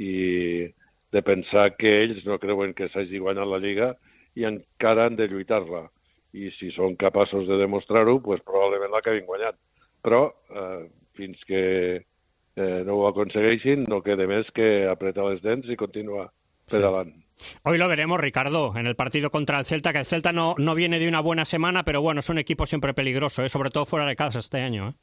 I de pensar que ells no creuen que s'hagi guanyat la Lliga i encara han de lluitar-la. I si són capaços de demostrar-ho, pues, probablement l'acabin guanyant. Però eh, fins que eh, no ho aconsegueixin, no queda més que apretar les dents y continuar pedalando. Sí. Hoy lo veremos, Ricardo, en el partido contra el Celta, que el Celta no, no viene de una buena semana, pero bueno, es un equipo siempre peligroso, ¿eh? Sobre todo fuera de casa este año. ¿eh?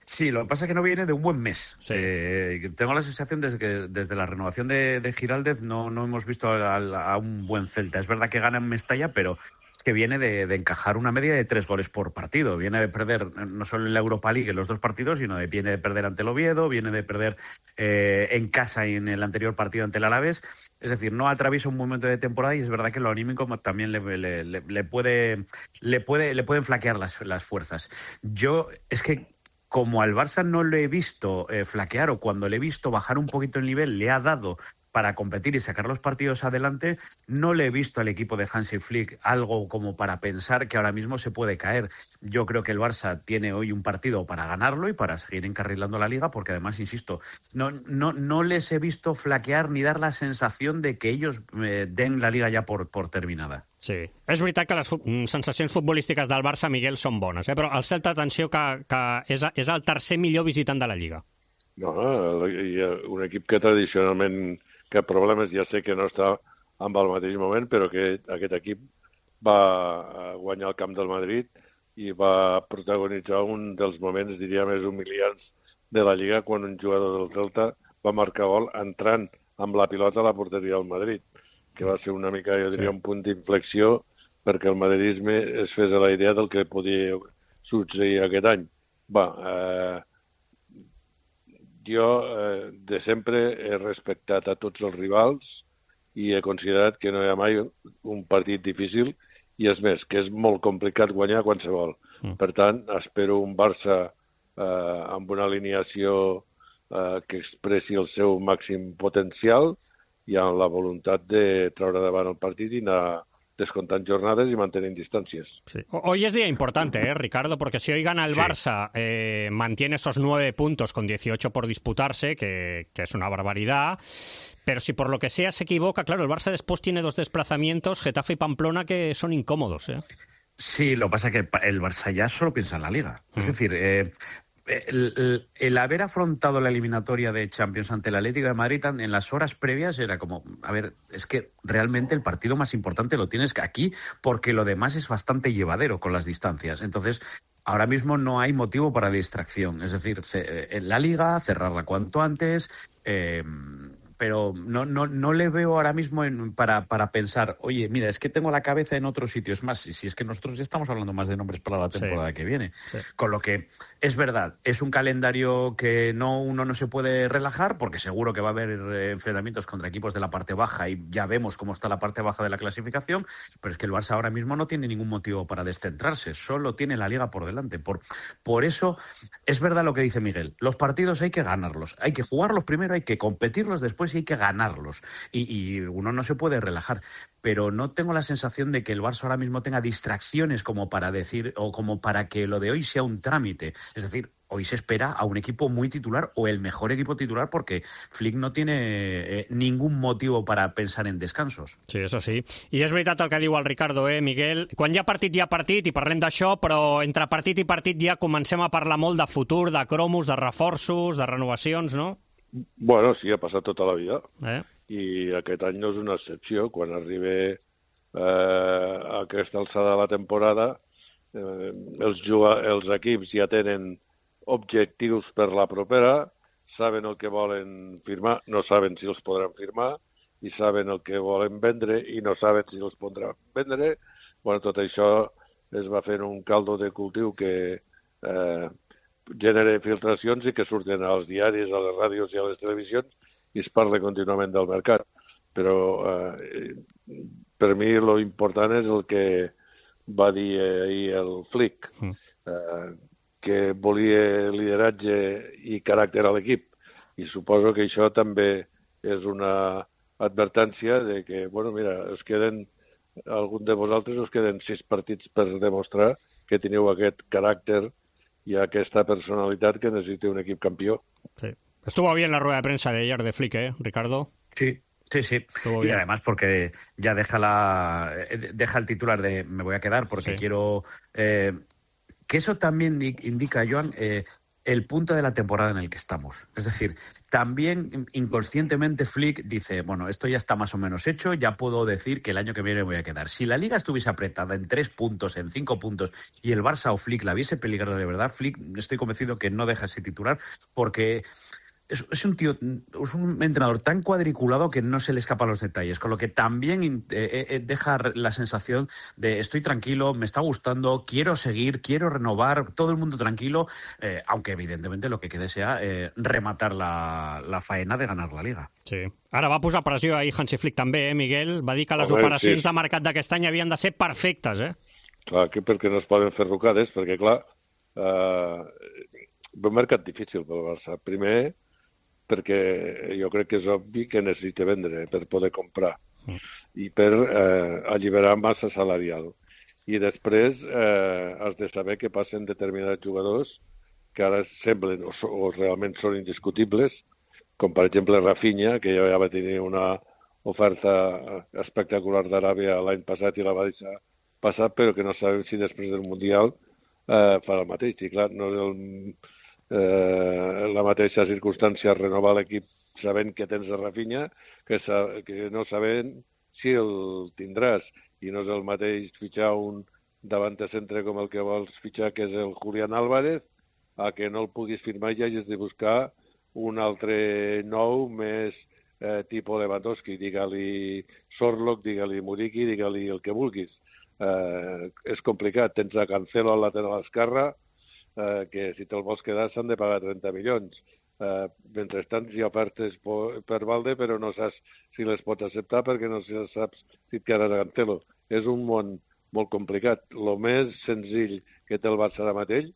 Sí, lo que pasa es que no viene de un buen mes. Sí. Eh, tengo la sensación de que desde la renovación de, de Giraldez no, no hemos visto a, a, a un buen Celta. Es verdad que gana en Mestalla, pero que viene de, de encajar una media de tres goles por partido. Viene de perder no solo en la Europa League en los dos partidos, sino de, viene de perder ante el Oviedo, viene de perder eh, en casa en el anterior partido ante el Alavés. Es decir, no atraviesa un momento de temporada y es verdad que lo anímico también le, le, le, le, puede, le, puede, le pueden flaquear las, las fuerzas. Yo, es que como al Barça no le he visto eh, flaquear o cuando le he visto bajar un poquito el nivel, le ha dado para competir y sacar los partidos adelante, no le he visto al equipo de Hansi Flick algo como para pensar que ahora mismo se puede caer. Yo creo que el Barça tiene hoy un partido para ganarlo y para seguir encarrilando la Liga, porque además, insisto, no, no, no les he visto flaquear ni dar la sensación de que ellos eh, den la Liga ya por, por terminada. Sí. És veritat que les sensacions futbolístiques del Barça, Miguel, són bones, eh? Però el Celta, atenció, que, que és, és el tercer millor visitant de la Lliga. No, hi ha un equip que tradicionalment cap problemes, ja sé que no està en el mateix moment, però que aquest equip va guanyar el camp del Madrid i va protagonitzar un dels moments, diria, més humiliants de la Lliga, quan un jugador del Celta va marcar gol entrant amb la pilota a la porteria del Madrid, que va ser una mica, jo diria, sí. un punt d'inflexió perquè el madridisme es fes a la idea del que podia succeir aquest any. Va, eh, jo eh, de sempre he respectat a tots els rivals i he considerat que no hi ha mai un partit difícil i és més, que és molt complicat guanyar qualsevol. Mm. Per tant, espero un Barça eh, amb una alineació eh, que expressi el seu màxim potencial i amb la voluntat de treure davant el partit i anar descontando jornadas y manteniendo distancias. Sí. Hoy es día importante, ¿eh, Ricardo? Porque si hoy gana el sí. Barça, eh, mantiene esos nueve puntos con dieciocho por disputarse, que, que es una barbaridad. Pero si por lo que sea se equivoca, claro, el Barça después tiene dos desplazamientos, Getafe y Pamplona, que son incómodos, ¿eh? Sí, lo que pasa es que el Barça ya solo piensa en la Liga. Mm. Es decir, eh, El, el, el haber afrontado la eliminatoria de Champions ante el Atlético de Madrid en las horas previas era como, a ver, es que realmente el partido más importante lo tienes aquí porque lo demás es bastante llevadero con las distancias. Entonces, ahora mismo no hay motivo para distracción. Es decir, en la Liga, cerrarla cuanto antes, eh, pero no, no, no le veo ahora mismo en, para, para pensar, oye, mira, es que tengo la cabeza en otro sitio. Es más, si es que nosotros ya estamos hablando más de nombres para la temporada sí. que viene. Sí. Con lo que, es verdad, es un calendario que no uno no se puede relajar, porque seguro que va a haber enfrentamientos contra equipos de la parte baja y ya vemos cómo está la parte baja de la clasificación, pero es que el Barça ahora mismo no tiene ningún motivo para descentrarse, solo tiene la Liga por delante. Por, por eso, es verdad lo que dice Miguel, los partidos hay que ganarlos, hay que jugarlos primero, hay que competirlos después y hay que ganarlos. Y, y uno no se puede relajar. Pero no tengo la sensación de que el Barça ahora mismo tenga distracciones como para decir, o como para que lo de hoy sea un trámite. Es decir, hoy se espera a un equipo muy titular o el mejor equipo titular porque Flick no tiene eh, ningún motivo para pensar en descansos. Sí, eso sí. I és veritat el que diu el Ricardo, eh, Miguel? Quan hi ha partit, hi ha partit, i parlem d'això, però entre partit i partit ja comencem a parlar molt de futur, de cromos, de reforços, de renovacions, no? Bueno, sí, ha passat tota la vida. Eh? I aquest any no és una excepció. Quan arriba eh, a aquesta alçada de la temporada, eh, els, els equips ja tenen objectius per la propera, saben el que volen firmar, no saben si els podran firmar, i saben el que volen vendre i no saben si els podran vendre. Bueno, tot això es va fent un caldo de cultiu que eh, genera filtracions i que surten als diaris, a les ràdios i a les televisions i es parla contínuament del mercat. Però eh, per mi lo important és el que va dir ahir el Flick. Mm. eh, que volia lideratge i caràcter a l'equip. I suposo que això també és una advertència de que, bueno, mira, es queden, algun de vosaltres us queden sis partits per demostrar que teniu aquest caràcter y a esta personalidad que necesite un equipo campeón. Sí. Estuvo bien la rueda de prensa de ayer de Flick, ¿eh, Ricardo? Sí, sí, sí. Estuvo y bien. Además porque ya deja la deja el titular de me voy a quedar porque sí. quiero... Eh, que eso también indica, Joan, eh, el punto de la temporada en el que estamos. Es decir, también inconscientemente Flick dice, bueno, esto ya está más o menos hecho, ya puedo decir que el año que viene me voy a quedar. Si la Liga estuviese apretada en tres puntos, en cinco puntos, y el Barça o Flick la viese peligrar de verdad, Flick estoy convencido que no deja ese titular porque... Es, es un tío, es un entrenador tan cuadriculado que no se le escapan los detalles, con lo que también eh, eh, deja la sensación de estoy tranquilo, me está gustando, quiero seguir, quiero renovar, todo el mundo tranquilo, eh, aunque evidentemente lo que quede sea eh, rematar la, la faena de ganar la Liga. Sí. Ara va posar pressió ahir Hansi Flick també, eh, Miguel? Va dir que les Home, operacions sí. de mercat d'aquest any havien de ser perfectes, eh? Clar, que perquè no es poden fer rucades, perquè clar, eh, un mercat difícil pel Barça. Primer, perquè jo crec que és obvi que necessita vendre per poder comprar mm. i per eh, alliberar massa salarial. I després eh, has de saber què passen determinats jugadors que ara semblen o, o realment són indiscutibles, com per exemple Rafinha, que ja va tenir una oferta espectacular d'Aràbia l'any passat i la va deixar passar, però que no sabem si després del Mundial eh, farà el mateix. I clar, no és el... Eh, la mateixa circumstància renovar l'equip sabent que tens a Rafinha que, sa que no sabent si el tindràs, i no és el mateix fitxar un davant de centre com el que vols fitxar, que és el Julián Álvarez, a que no el puguis firmar i hagis de buscar un altre nou més eh, tipus Lewandowski, digue-li Sorlock, digue-li Muriqui, digue-li el que vulguis. Eh, és complicat, tens a Cancelo al lateral esquerre, Eh, que si te'l vols quedar s'han de pagar trenta milions. Eh, mentrestant hi ha ofertes per Valde, però no saps si les pots acceptar perquè no saps si et quedaràs a Cancelo. És un món molt complicat. El més senzill que té el Barça ara mateix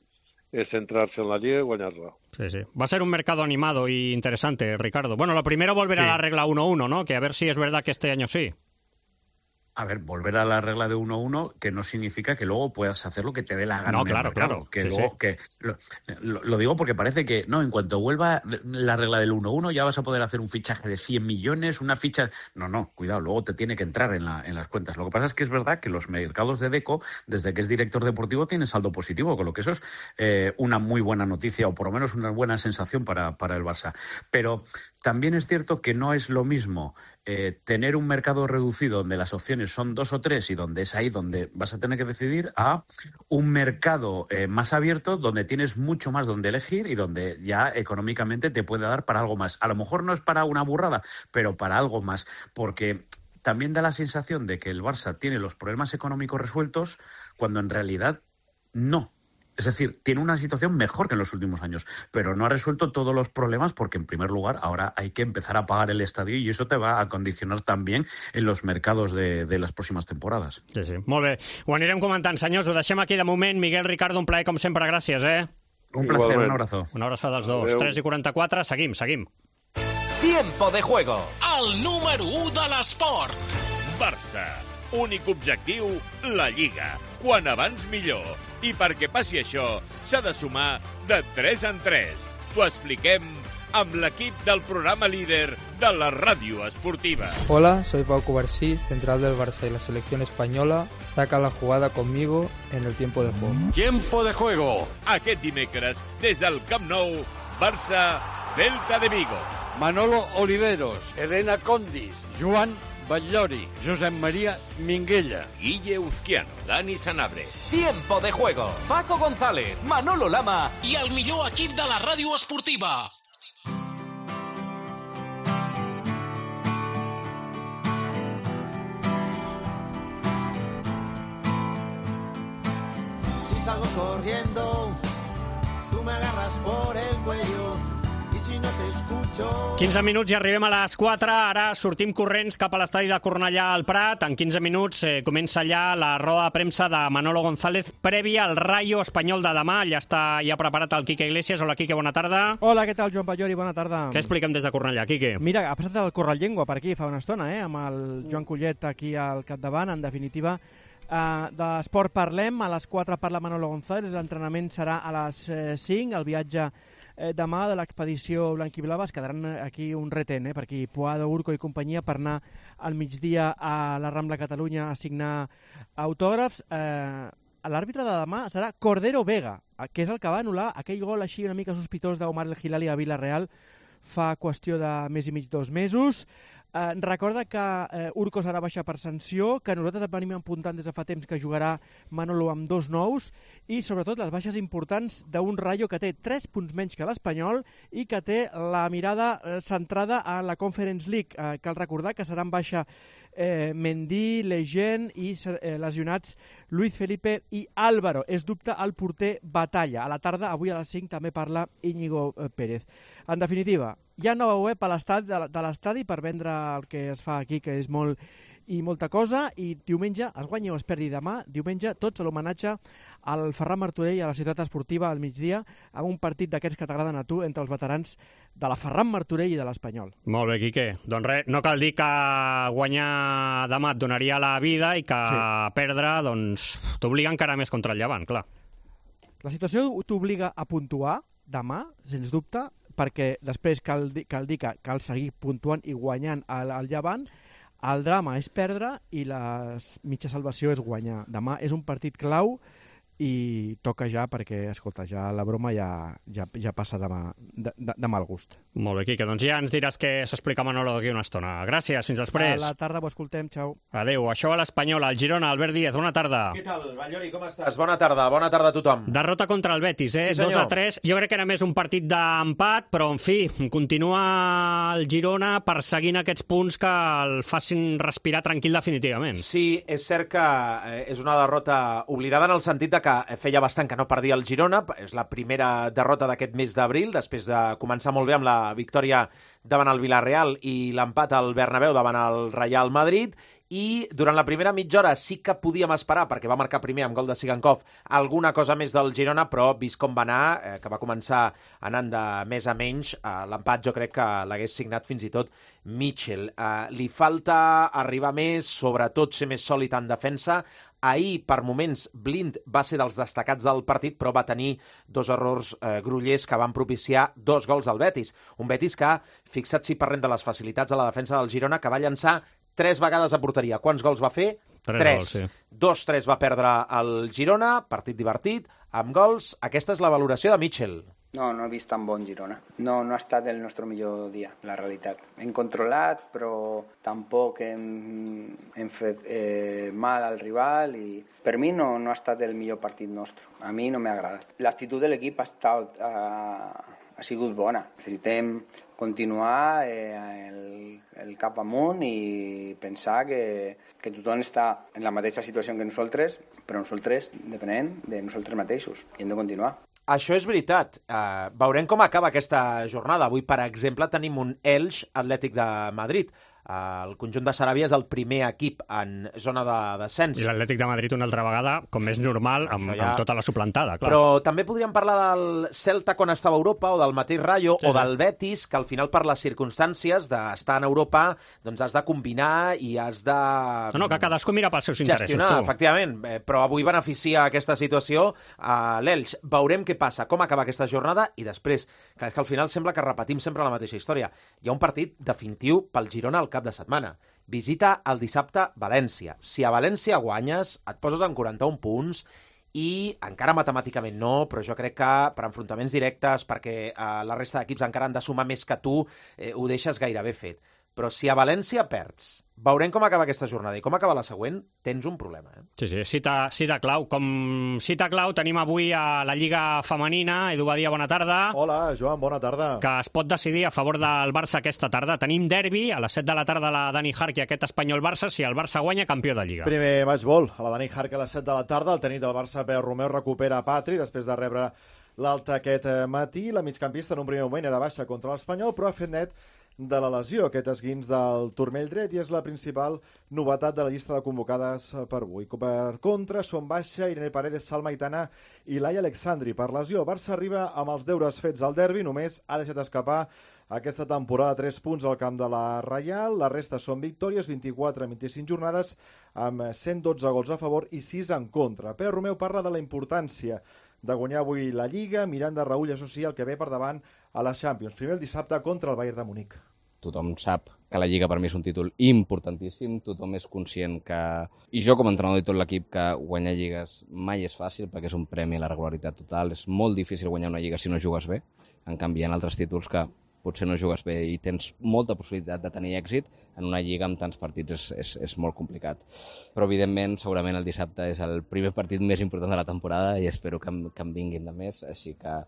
es centrarse en la Liga y guanyar-la. Sí, sí. Va a ser un mercado animado y interesante, Ricardo. Bueno, lo primero volver sí. a la regla uno uno, ¿no? Que a ver si es verdad que este año sí. A ver, volver a la regla de uno uno, que no significa que luego puedas hacer lo que te dé la gana. No, claro, claro. Que sí, luego, sí. que lo, lo, lo digo porque parece que, no, en cuanto vuelva la regla del uno uno ya vas a poder hacer un fichaje de cien millones, una ficha... No, no, cuidado, luego te tiene que entrar en, la, en las cuentas. Lo que pasa es que es verdad que los mercados de Deco, desde que es director deportivo, tienen saldo positivo, con lo que eso es eh, una muy buena noticia, o por lo menos una buena sensación para, para el Barça. Pero también es cierto que no es lo mismo eh, tener un mercado reducido donde las opciones son dos o tres y donde es ahí donde vas a tener que decidir, a un mercado eh, más abierto donde tienes mucho más donde elegir y donde ya económicamente te puede dar para algo más. A lo mejor no es para una burrada, pero para algo más, porque también da la sensación de que el Barça tiene los problemas económicos resueltos cuando en realidad no. Es decir, tiene una situación mejor que en los últimos años, pero no ha resuelto todos los problemas porque, en primer lugar, ahora hay que empezar a pagar el estadio y eso te va a condicionar también en los mercados de, de las próximas temporadas. Sí, sí. Molt bé. Ho anirem comentant, senyors. Ho deixem aquí de moment. Miguel, Ricardo, un plaer com sempre. Gràcies, eh? Un placer, un abrazo. Una abraçada als dos. tres i quaranta-quatre. Seguim, seguim. Tiempo de juego. El número u de l'esport. Barça. Únic objectiu, la Lliga. Quan abans millor. I perquè passi això, s'ha de sumar de tres en tres. T'ho expliquem amb l'equip del programa líder de la ràdio esportiva. Hola, soy Pau Cubarsí, central del Barça y la selección española. Saca la jugada conmigo en el tiempo de juego. Tiempo de juego. Aquest dimecres, des del Camp Nou, Barça, Celta de Vigo. Manolo Oliveros, Elena Condis, Joan Batllori, Josep María Minguella, Guille Uzquiano, Dani Sanabria. Tiempo de juego. Paco González, Manolo Lama i el millor equip de la ràdio esportiva. Si salgo corriendo, tú me agarras por el cuello y si no te escucho. quinze minuts i arribem a les quatre. Ara sortim corrents cap a l'estadi de Cornellà al Prat. En quinze minuts eh, comença ja la roda de premsa de Manolo González prèvia al Rayo Espanyol de demà. Ja està ja preparat el Quique Iglesias. Hola, Quique, bona tarda. Hola, què tal, Joan Ballori? Bona tarda. Què expliquem des de Cornellà, Quique? Mira, ha passat el Correllengua per aquí fa una estona, eh? Amb el Joan Collet aquí al capdavant. En definitiva, uh, d'esport parlem. A les quatre parla Manolo González. L'entrenament serà a les eh, cinc. El viatge eh, demà de l'expedició blanquiblava. Es quedaran aquí un retén, eh? Per aquí Puado, Urco i companyia per anar al migdia a la Rambla Catalunya a signar autògrafs. Eh, L'àrbitre de demà serà Cordero Vega, que és el que va anul·lar aquell gol així una mica sospitós d'Omar El Hilali a Villarreal fa qüestió de mes i mig, dos mesos. Eh, recorda que eh, Urco serà baixa per sanció, que nosaltres venim apuntant des de fa temps que jugarà Manolo amb dos nous i sobretot les baixes importants d'un Rayo que té tres punts menys que l'Espanyol i que té la mirada eh, centrada a la Conference League. Eh, cal recordar que seran baixa eh, Mendy, Legend i eh, lesionats Luis Felipe i Álvaro. És dubte el porter Batalla. A la tarda, avui a les cinc, també parla Íñigo eh, Pérez. En definitiva, hi ha nova web a l'estadi de l'estadi per vendre el que es fa aquí, que és molt i molta cosa, i diumenge es guanyi o es perdi demà, diumenge tots a l'homenatge al Ferran Martorell i a la ciutat esportiva al migdia, amb un partit d'aquests que t'agraden a tu entre els veterans de la Ferran Martorell i de l'Espanyol. Molt bé, Quique. Doncs res, no cal dir que guanyar demà et donaria la vida i que sí. Perdre doncs t'obliga encara més contra el Llevant, clar. La situació t'obliga a puntuar demà, sens dubte, perquè després cal dir, cal dir que cal seguir puntuant i guanyant al, al Llevant. El drama és perdre i la mitja salvació és guanyar. Demà és un partit clau i toca ja perquè, escolta, ja la broma ja, ja, ja passa de, de, de, de mal gust. Molt bé, Quique, doncs ja ens diràs què s'explica Manolo d'aquí una estona. Gràcies, fins després. A la tarda ho escoltem, xau. Adéu, això a l'Espanyol, al Girona, Albert Díez, bona tarda. Què tal, Ballori, com estàs? Bona tarda, bona tarda a tothom. Derrota contra el Betis, eh? Sí, dos a tres. Jo crec que era més un partit d'empat, però, en fi, continua el Girona perseguint aquests punts que el facin respirar tranquil definitivament. Sí, és cert que és una derrota oblidada en el sentit de que feia bastant que no perdia el Girona, és la primera derrota d'aquest mes d'abril, després de començar molt bé amb la victòria davant el Villarreal i l'empat al Bernabéu davant el Real Madrid, i durant la primera mitja hora sí que podíem esperar, perquè va marcar primer amb gol de Sigankov, alguna cosa més del Girona, però vist com va anar, eh, que va començar anant de més a menys, eh, l'empat jo crec que l'hagués signat fins i tot Mitchell. Eh, li falta arribar més, sobretot ser més sòlid en defensa. Ahir, per moments, Blind va ser dels destacats del partit, però va tenir dos errors eh, grollers que van propiciar dos gols al Betis. Un Betis que, fixat si parlem de les facilitats a la defensa del Girona, que va llançar tres vegades a porteria. Quants gols va fer? Tres. Tres. Gols, sí. Dos, tres va perdre el Girona, partit divertit, amb gols. Aquesta és la valoració de Mitchell. No, no he vist tan bon Girona. No, no ha estat el nostre millor dia, la realitat. Hem controlat, però tampoc hem, hem fet eh, mal al rival i per mi no, no ha estat el millor partit nostre. A mi no m'ha agradat. L'actitud de l'equip ha, estat, ha, ha sigut bona. Necessitem continuar eh, el, el cap amunt i pensar que, que tothom està en la mateixa situació que nosaltres, però nosaltres depenem de nosaltres mateixos i hem de continuar. Això és veritat. Uh, veurem com acaba aquesta jornada. Avui, per exemple, tenim un Elx Atlètic de Madrid. Uh, el conjunt de Saràbia és el primer equip en zona de descens. I l'Atlètic de Madrid una altra vegada, com és normal, amb, ja... amb tota la suplantada, clar. Però també podríem parlar del Celta quan estava a Europa, o del mateix Rayo, sí, o del Betis, que al final, per les circumstàncies d'estar en Europa, doncs has de combinar i has de... No, no, que cadascú mira pels seus interessos. Gestionar, tu. efectivament. Eh, però avui beneficia aquesta situació a l'Elx. Veurem què passa, com acaba aquesta jornada, i després, que és que al final sembla que repetim sempre la mateixa història. Hi ha un partit definitiu pel Girona al cap de setmana. Visita el dissabte València. Si a València guanyes, et poses en quaranta-un punts i encara matemàticament no, però jo crec que per enfrontaments directes, perquè eh, la resta d'equips encara han de sumar més que tu, eh, ho deixes gairebé fet. Però si a València perds, veurem com acaba aquesta jornada i com acaba la següent, tens un problema. Eh? Sí, sí, cita, cita clau. Com cita clau tenim avui a la Lliga Femenina. Edu Badia, bona tarda. Hola, Joan, bona tarda. Que es pot decidir a favor del Barça aquesta tarda. Tenim derbi a les set de la tarda la Dani Jarque, aquest Espanyol-Barça, si el Barça guanya, campió de Lliga. Primer match ball a la Dani Jarque a les set de la tarda. El tenit del Barça, Pere Romeu, recupera Patri després de rebre l'alta aquest matí. La migcampista en un primer moment era baixa contra l'Espanyol, però ha fet net de la lesió, aquest esguins del turmell dret, i és la principal novetat de la llista de convocades per avui. Per contra, són baixa Irene Paredes, Salma Aitana i Laia Alexandri per lesió. Barça arriba amb els deures fets al derbi, només ha deixat escapar aquesta temporada tres punts al camp de la Reial. La resta són victòries, vint-i-quatre en vint-i-cinc jornades, amb cent dotze gols a favor i sis en contra. Pere Romeu parla de la importància de guanyar avui la Lliga. Miranda Raúl associa el que ve per davant a la Champions. Primer el dissabte contra el Bayern de Munic. Tothom sap que la Lliga per mi és un títol importantíssim, tothom és conscient que, i jo com a entrenador i tot l'equip, que guanyar lligues mai és fàcil perquè és un premi a la regularitat total, és molt difícil guanyar una lliga si no jugues bé, en canvi hi ha altres títols que potser no jugues bé i tens molta possibilitat de tenir èxit, en una lliga amb tants partits és, és, és molt complicat. Però, evidentment, segurament el dissabte és el primer partit més important de la temporada i espero que, que en vinguin de més, així que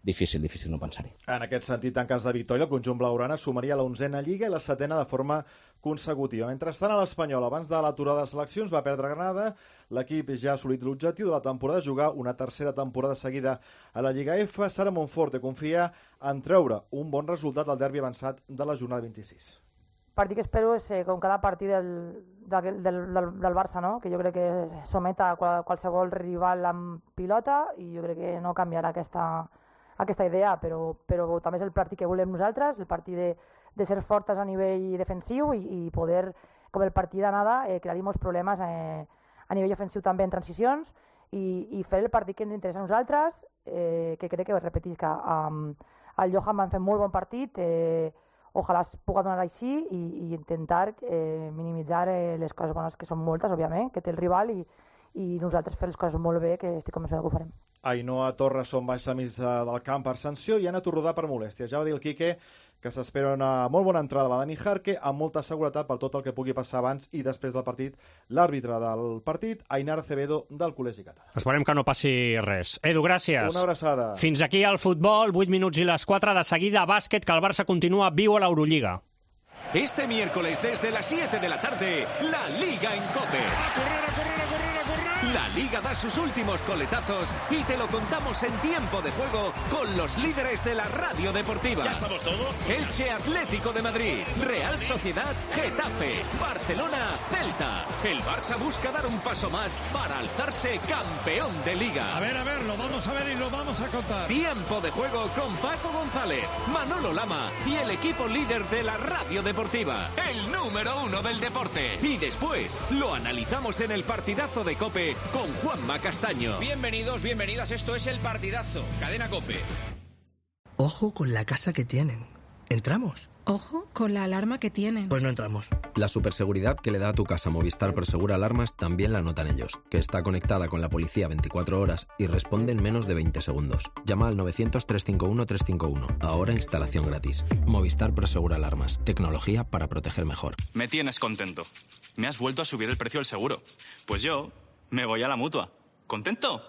difícil, difícil no pensar-hi. En aquest sentit, en cas de victòria, el conjunt blaugrana sumaria l'onzena Lliga i la setena de forma consecutiva. Mentrestant, a l'Espanyol, abans de l'aturada de seleccions, va perdre Granada. L'equip ja ha assolit l'objectiu de la temporada, jugar una tercera temporada seguida a la Lliga F. Sara Monforte confia en treure un bon resultat al derbi avançat de la jornada vint-i-sis. El partit que espero és, eh, com cada partit del, del, del, del Barça, no? Que jo crec que somet a qualsevol rival amb pilota i jo crec que no canviarà aquesta, aquesta idea, però, però també és el partit que volem nosaltres, el partit de, de ser fortes a nivell defensiu i, i poder, com el partit d'anada, eh, crear molts problemes eh, a nivell ofensiu també en transicions i, i fer el partit que ens interessa a nosaltres, eh, que crec que, repetisc, que um, el Johan van fer molt bon partit, eh, ojalà es pugui donar així i, i intentar eh, minimitzar eh, les coses bones, que són moltes, òbviament, que té el rival i, i nosaltres fer les coses molt bé, que estic convençuda que ho farem. Ainhoa Torres són baixa mig del camp per sanció i Anna Torrodà per molèstia. Ja va dir el Quique que s'espera una molt bona entrada a la Dani Jarque amb molta seguretat per tot el que pugui passar abans i després del partit. L'àrbitre del partit, Ainara Acevedo, del Col·legi Català. Esperem que no passi res. Edu, gràcies. Una abraçada. Fins aquí el futbol, vuit minuts i les quatre de seguida, bàsquet, que el Barça continua viu a l'Eurolliga. Este miércoles desde las siete de la tarde, la Liga en COPE. ¡A correr, a correr, a correr, a correr! La Liga da sus últimos coletazos y te lo contamos en tiempo de juego con los líderes de la radio deportiva. ¿Ya estamos todos? Elche Atlético de Madrid, Real Sociedad, Getafe, Barcelona, Celta. El Barça busca dar un paso más para alzarse campeón de Liga. A ver, a ver, lo vamos a ver y lo vamos a contar. Tiempo de juego con Paco González, Manolo Lama y el equipo líder de la radio deportiva. El número uno del deporte. Y después lo analizamos en el partidazo de COPE con Juanma Castaño. Bienvenidos, bienvenidas, esto es El Partidazo, Cadena COPE. Ojo con la casa que tienen. ¿Entramos? Ojo con la alarma que tienen. Pues no entramos. La superseguridad que le da a tu casa Movistar Prosegur Alarmas también la notan ellos, que está conectada con la policía veinticuatro horas y responde en menos de veinte segundos. Llama al novecientos, trescientos cincuenta y uno, trescientos cincuenta y uno. Ahora instalación gratis. Movistar Prosegur Alarmas. Tecnología para proteger mejor. Me tienes contento. Me has vuelto a subir el precio del seguro. Pues yo me voy a la Mutua. ¿Contento?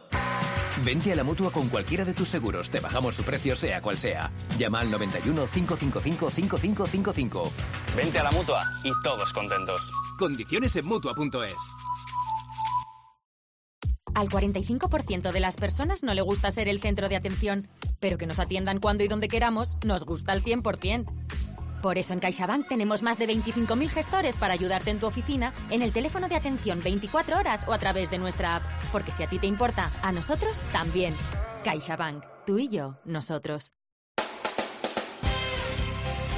Vente a la Mutua con cualquiera de tus seguros. Te bajamos su precio sea cual sea. Llama al noventa y uno, cinco cinco cinco, cinco cinco cinco cinco. Vente a la Mutua y todos contentos. Condiciones en Mutua punto es. Al cuarenta y cinco por ciento de las personas no le gusta ser el centro de atención, pero que nos atiendan cuando y donde queramos nos gusta al cien por ciento. Por eso en CaixaBank tenemos más de veinticinco mil gestores para ayudarte en tu oficina, en el teléfono de atención veinticuatro horas o a través de nuestra app. Porque si a ti te importa, a nosotros también. CaixaBank. Tú y yo, nosotros.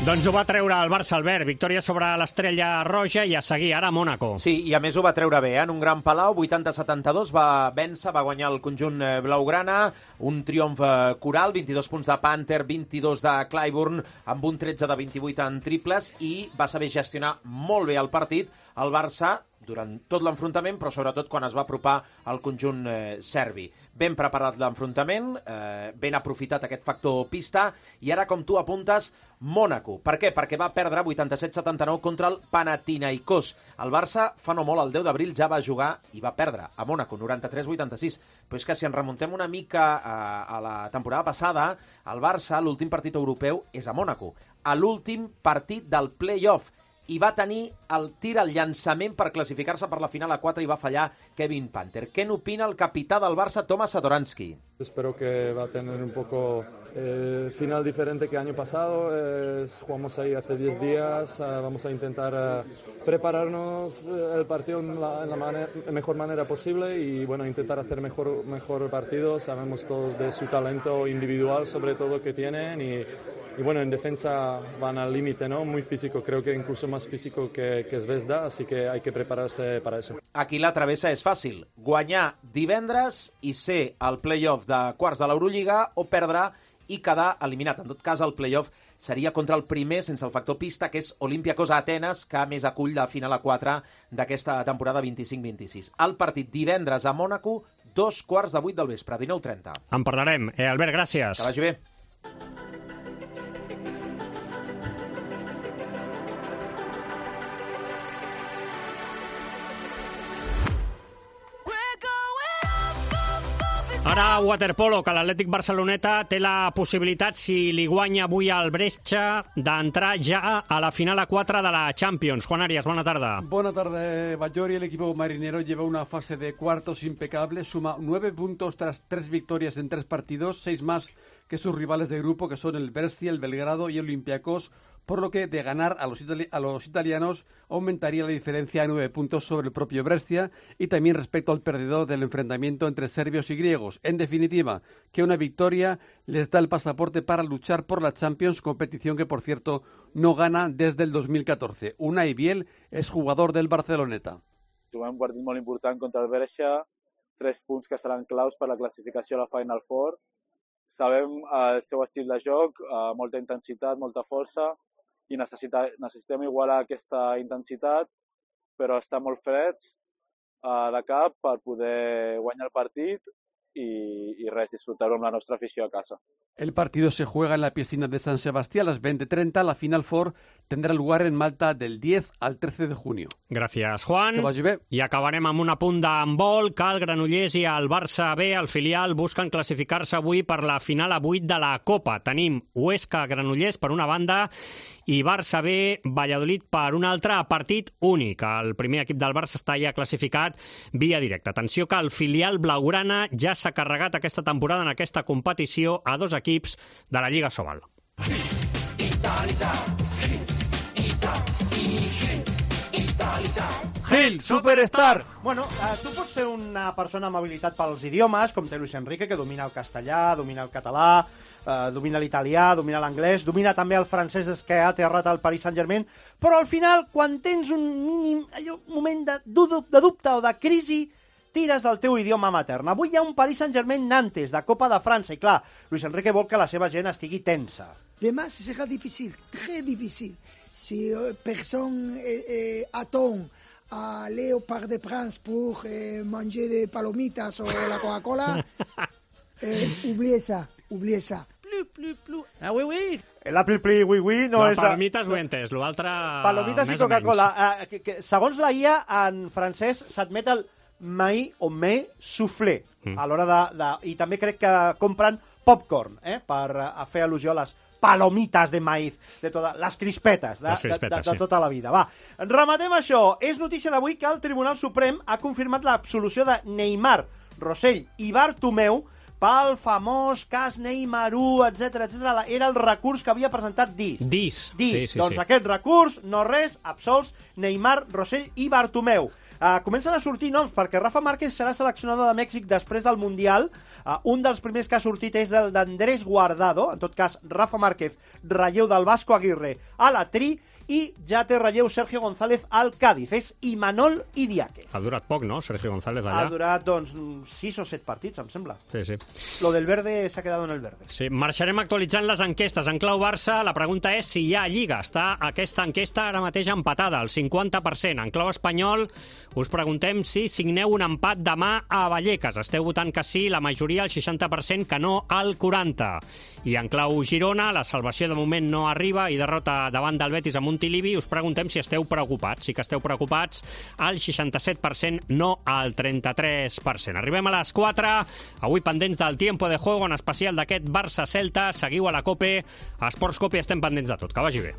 Doncs ho va treure el Barça, Albert. Victòria sobre l'Estrella Roja i a seguir ara a Mònaco. Sí, i a més ho va treure bé, eh? En un gran palau, vuitanta a setanta-dos, va vèncer, va guanyar el conjunt blaugrana, un triomf coral, vint-i-dos punts de Panther, vint-i-dos de Clyburn, amb un tretze de vint-i-vuit en triples, i va saber gestionar molt bé el partit, el Barça, durant tot l'enfrontament, però sobretot quan es va apropar al conjunt eh, serbi. Ben preparat l'enfrontament, eh, ben aprofitat aquest factor pista, i ara, com tu apuntes, Mònaco. Per què? Perquè va perdre vuitanta-set a setanta-nou contra el Panathinaikos. El Barça, fa no molt, el deu d'abril, ja va jugar i va perdre a Mònaco, noranta-tres a vuitanta-sis. Però és que si ens remuntem una mica a, a la temporada passada, el Barça, l'últim partit europeu és a Mònaco, a l'últim partit del play-off. i va tenir el tir al llançament per classificar-se per la final a quatre i va fallar Kevin Panther. Què n'opina el capità del Barça, Tomas Satoransky? Espero que va a tener un poco eh, final diferente que el año pasado. Eh, jugamos ahí hace diez días. Eh, vamos a intentar eh, prepararnos eh, el partido en la, en la manera, mejor manera posible y bueno, intentar hacer mejor, mejor partido. Sabemos todos de su talento individual, sobre todo, que tienen y, y bueno, en defensa van al límite, ¿no? Muy físico, creo que incluso más físico que, que Zvezda, así que hay que prepararse para eso. Aquí la travessa és fàcil. Guanyar divendres i ser al play-off de quarts de l'Eurolliga o perdre i quedar eliminat. En tot cas, el play-off seria contra el primer, sense el factor pista, que és Olympiacos a Atenes, que més acull la final a quatre d'aquesta temporada vint-i-cinc vint-i-sis. El partit divendres a Mònaco, dos quarts de vuit del vespre, dinou trenta. En parlarem. Eh, Albert, gràcies. Que vagi bé. Ara, waterpolo, que l'Atlètic Barceloneta té la possibilitat, si li guanya avui al Brescia, d'entrar ja a la final a quatre de la Champions. Juan Arias, buena tarde. Buena tarde, Bayori. El equipo marinero lleva una fase de cuartos impecable, suma nueve puntos tras tres victorias en tres partidos, seis más que sus rivales de grupo, que son el Brescia, el Belgrado y el Olympiacos, por lo que de ganar a los, itali a los italianos aumentaría la diferencia a nueve puntos sobre el propio Brescia y también respecto al perdedor del enfrentamiento entre serbios y griegos. En definitiva, que una victoria les da el pasaporte para luchar por la Champions, competición que, por cierto, no gana desde el dos mil catorce. Unai Biel es jugador del Barceloneta. Juguem un partit molt important contra el Brescia, tres punts que seran claus per la classificació a la Final Four. Sabem el seu estil de joc, molta intensitat, molta força, i necessita, necessitem igualar aquesta intensitat, però estar molt freds uh, de cap per poder guanyar el partit i, i res, disfrutar-ho amb la nostra afició a casa. El partido se juega en la piscina de San Sebastián a las veinte treinta. La Final Four tendrá lugar en Malta del diez al trece de junio. Gràcies, Juan. Que vagi bé. I acabarem amb un apunt d'handbol, que el Granollers i el Barça B, el filial, busquen classificar-se avui per la final a vuit de la Copa. Tenim Huesca-Granollers per una banda i Barça B, Valladolid per un altre, partit únic. El primer equip del Barça està ja classificat via directa. Atenció que el filial blaugrana ja s'ha carregat aquesta temporada en aquesta competició a dos equips de la Lliga Sobal. Gil, Superstar! Bueno, eh, tu pots ser una persona amb habilitat pels idiomes, com té Luis Enrique, que domina el castellà, domina el català, eh, domina l'italià, domina l'anglès, domina també el francès des que ha aterrat al Paris Saint-Germain, però al final, quan tens un mínim allò, moment de, de dubte o de crisi, tires del teu idioma matern. Avui hi ha un Paris Saint-Germain-Nantes de Copa de França i, clar, Luis Enrique vol que la seva gent estigui tensa. Demà serà difícil, très difícil. Si personne eh, eh, attend à aller au Parc des Princes pour eh, manger des palomitas o la Coca-Cola, eh, oubliez ça, oubliez ça. Plu, plu, plu. Ah, oui, oui. La pli, pli, oui, oui, no la és... palomites ho he entès, l'altre... Palomites i Coca-Cola. Eh, que, que, segons la I A, en francès s'admet el mai o me soufflé mm. a l'hora de, de... I també crec que compren popcorn, eh, per a fer al·lusió a les palomitas de maíz, de totes les crispetes, de, les crispetes, de, de, de sí. tota la vida. Va, rematem això. És notícia d'avui que el Tribunal Suprem ha confirmat l'absolució de Neymar, Rossell i Bartomeu pel famós cas Neymar u, etcètera, etcètera. Era el recurs que havia presentat Dis. Dis. Dis. Sí, sí, doncs sí. Aquest recurs, no res, absolts Neymar, Rossell i Bartomeu. Uh, comencen a sortir noms, perquè Rafa Márquez serà seleccionador de Mèxic després del Mundial. Uh, un dels primers que ha sortit és el d'Andrés Guardado, en tot cas Rafa Márquez, relleu del Vasco Aguirre a la Tri, i ja té relleu Sergio González al Cádiz. És Imanol Idiáquez. Ha durat poc, no, Sergio González allà? Ha durat, doncs, sis o set partits, em sembla. Sí, sí. Lo del verde s'ha quedat en el verde. Sí, marxarem actualitzant les enquestes. En clau Barça, la pregunta és si hi ha Lliga. Està aquesta enquesta ara mateix empatada, al cinquanta per cent. En clau espanyol, us preguntem si signeu un empat demà a Vallecas. Esteu votant que sí, la majoria, el seixanta per cent, que no, al quaranta per cent. I en clau Girona, la salvació de moment no arriba i derrota davant del Betis amb un Montilivi, us preguntem si esteu preocupats. Sí que esteu preocupats, al seixanta-set per cent, no al trenta-tres per cent. Arribem a les quatre, avui pendents del tiempo de juego, en especial d'aquest Barça-Celta. Seguiu a la COPE, a Esports COPE, estem pendents de tot. Que vagi bé.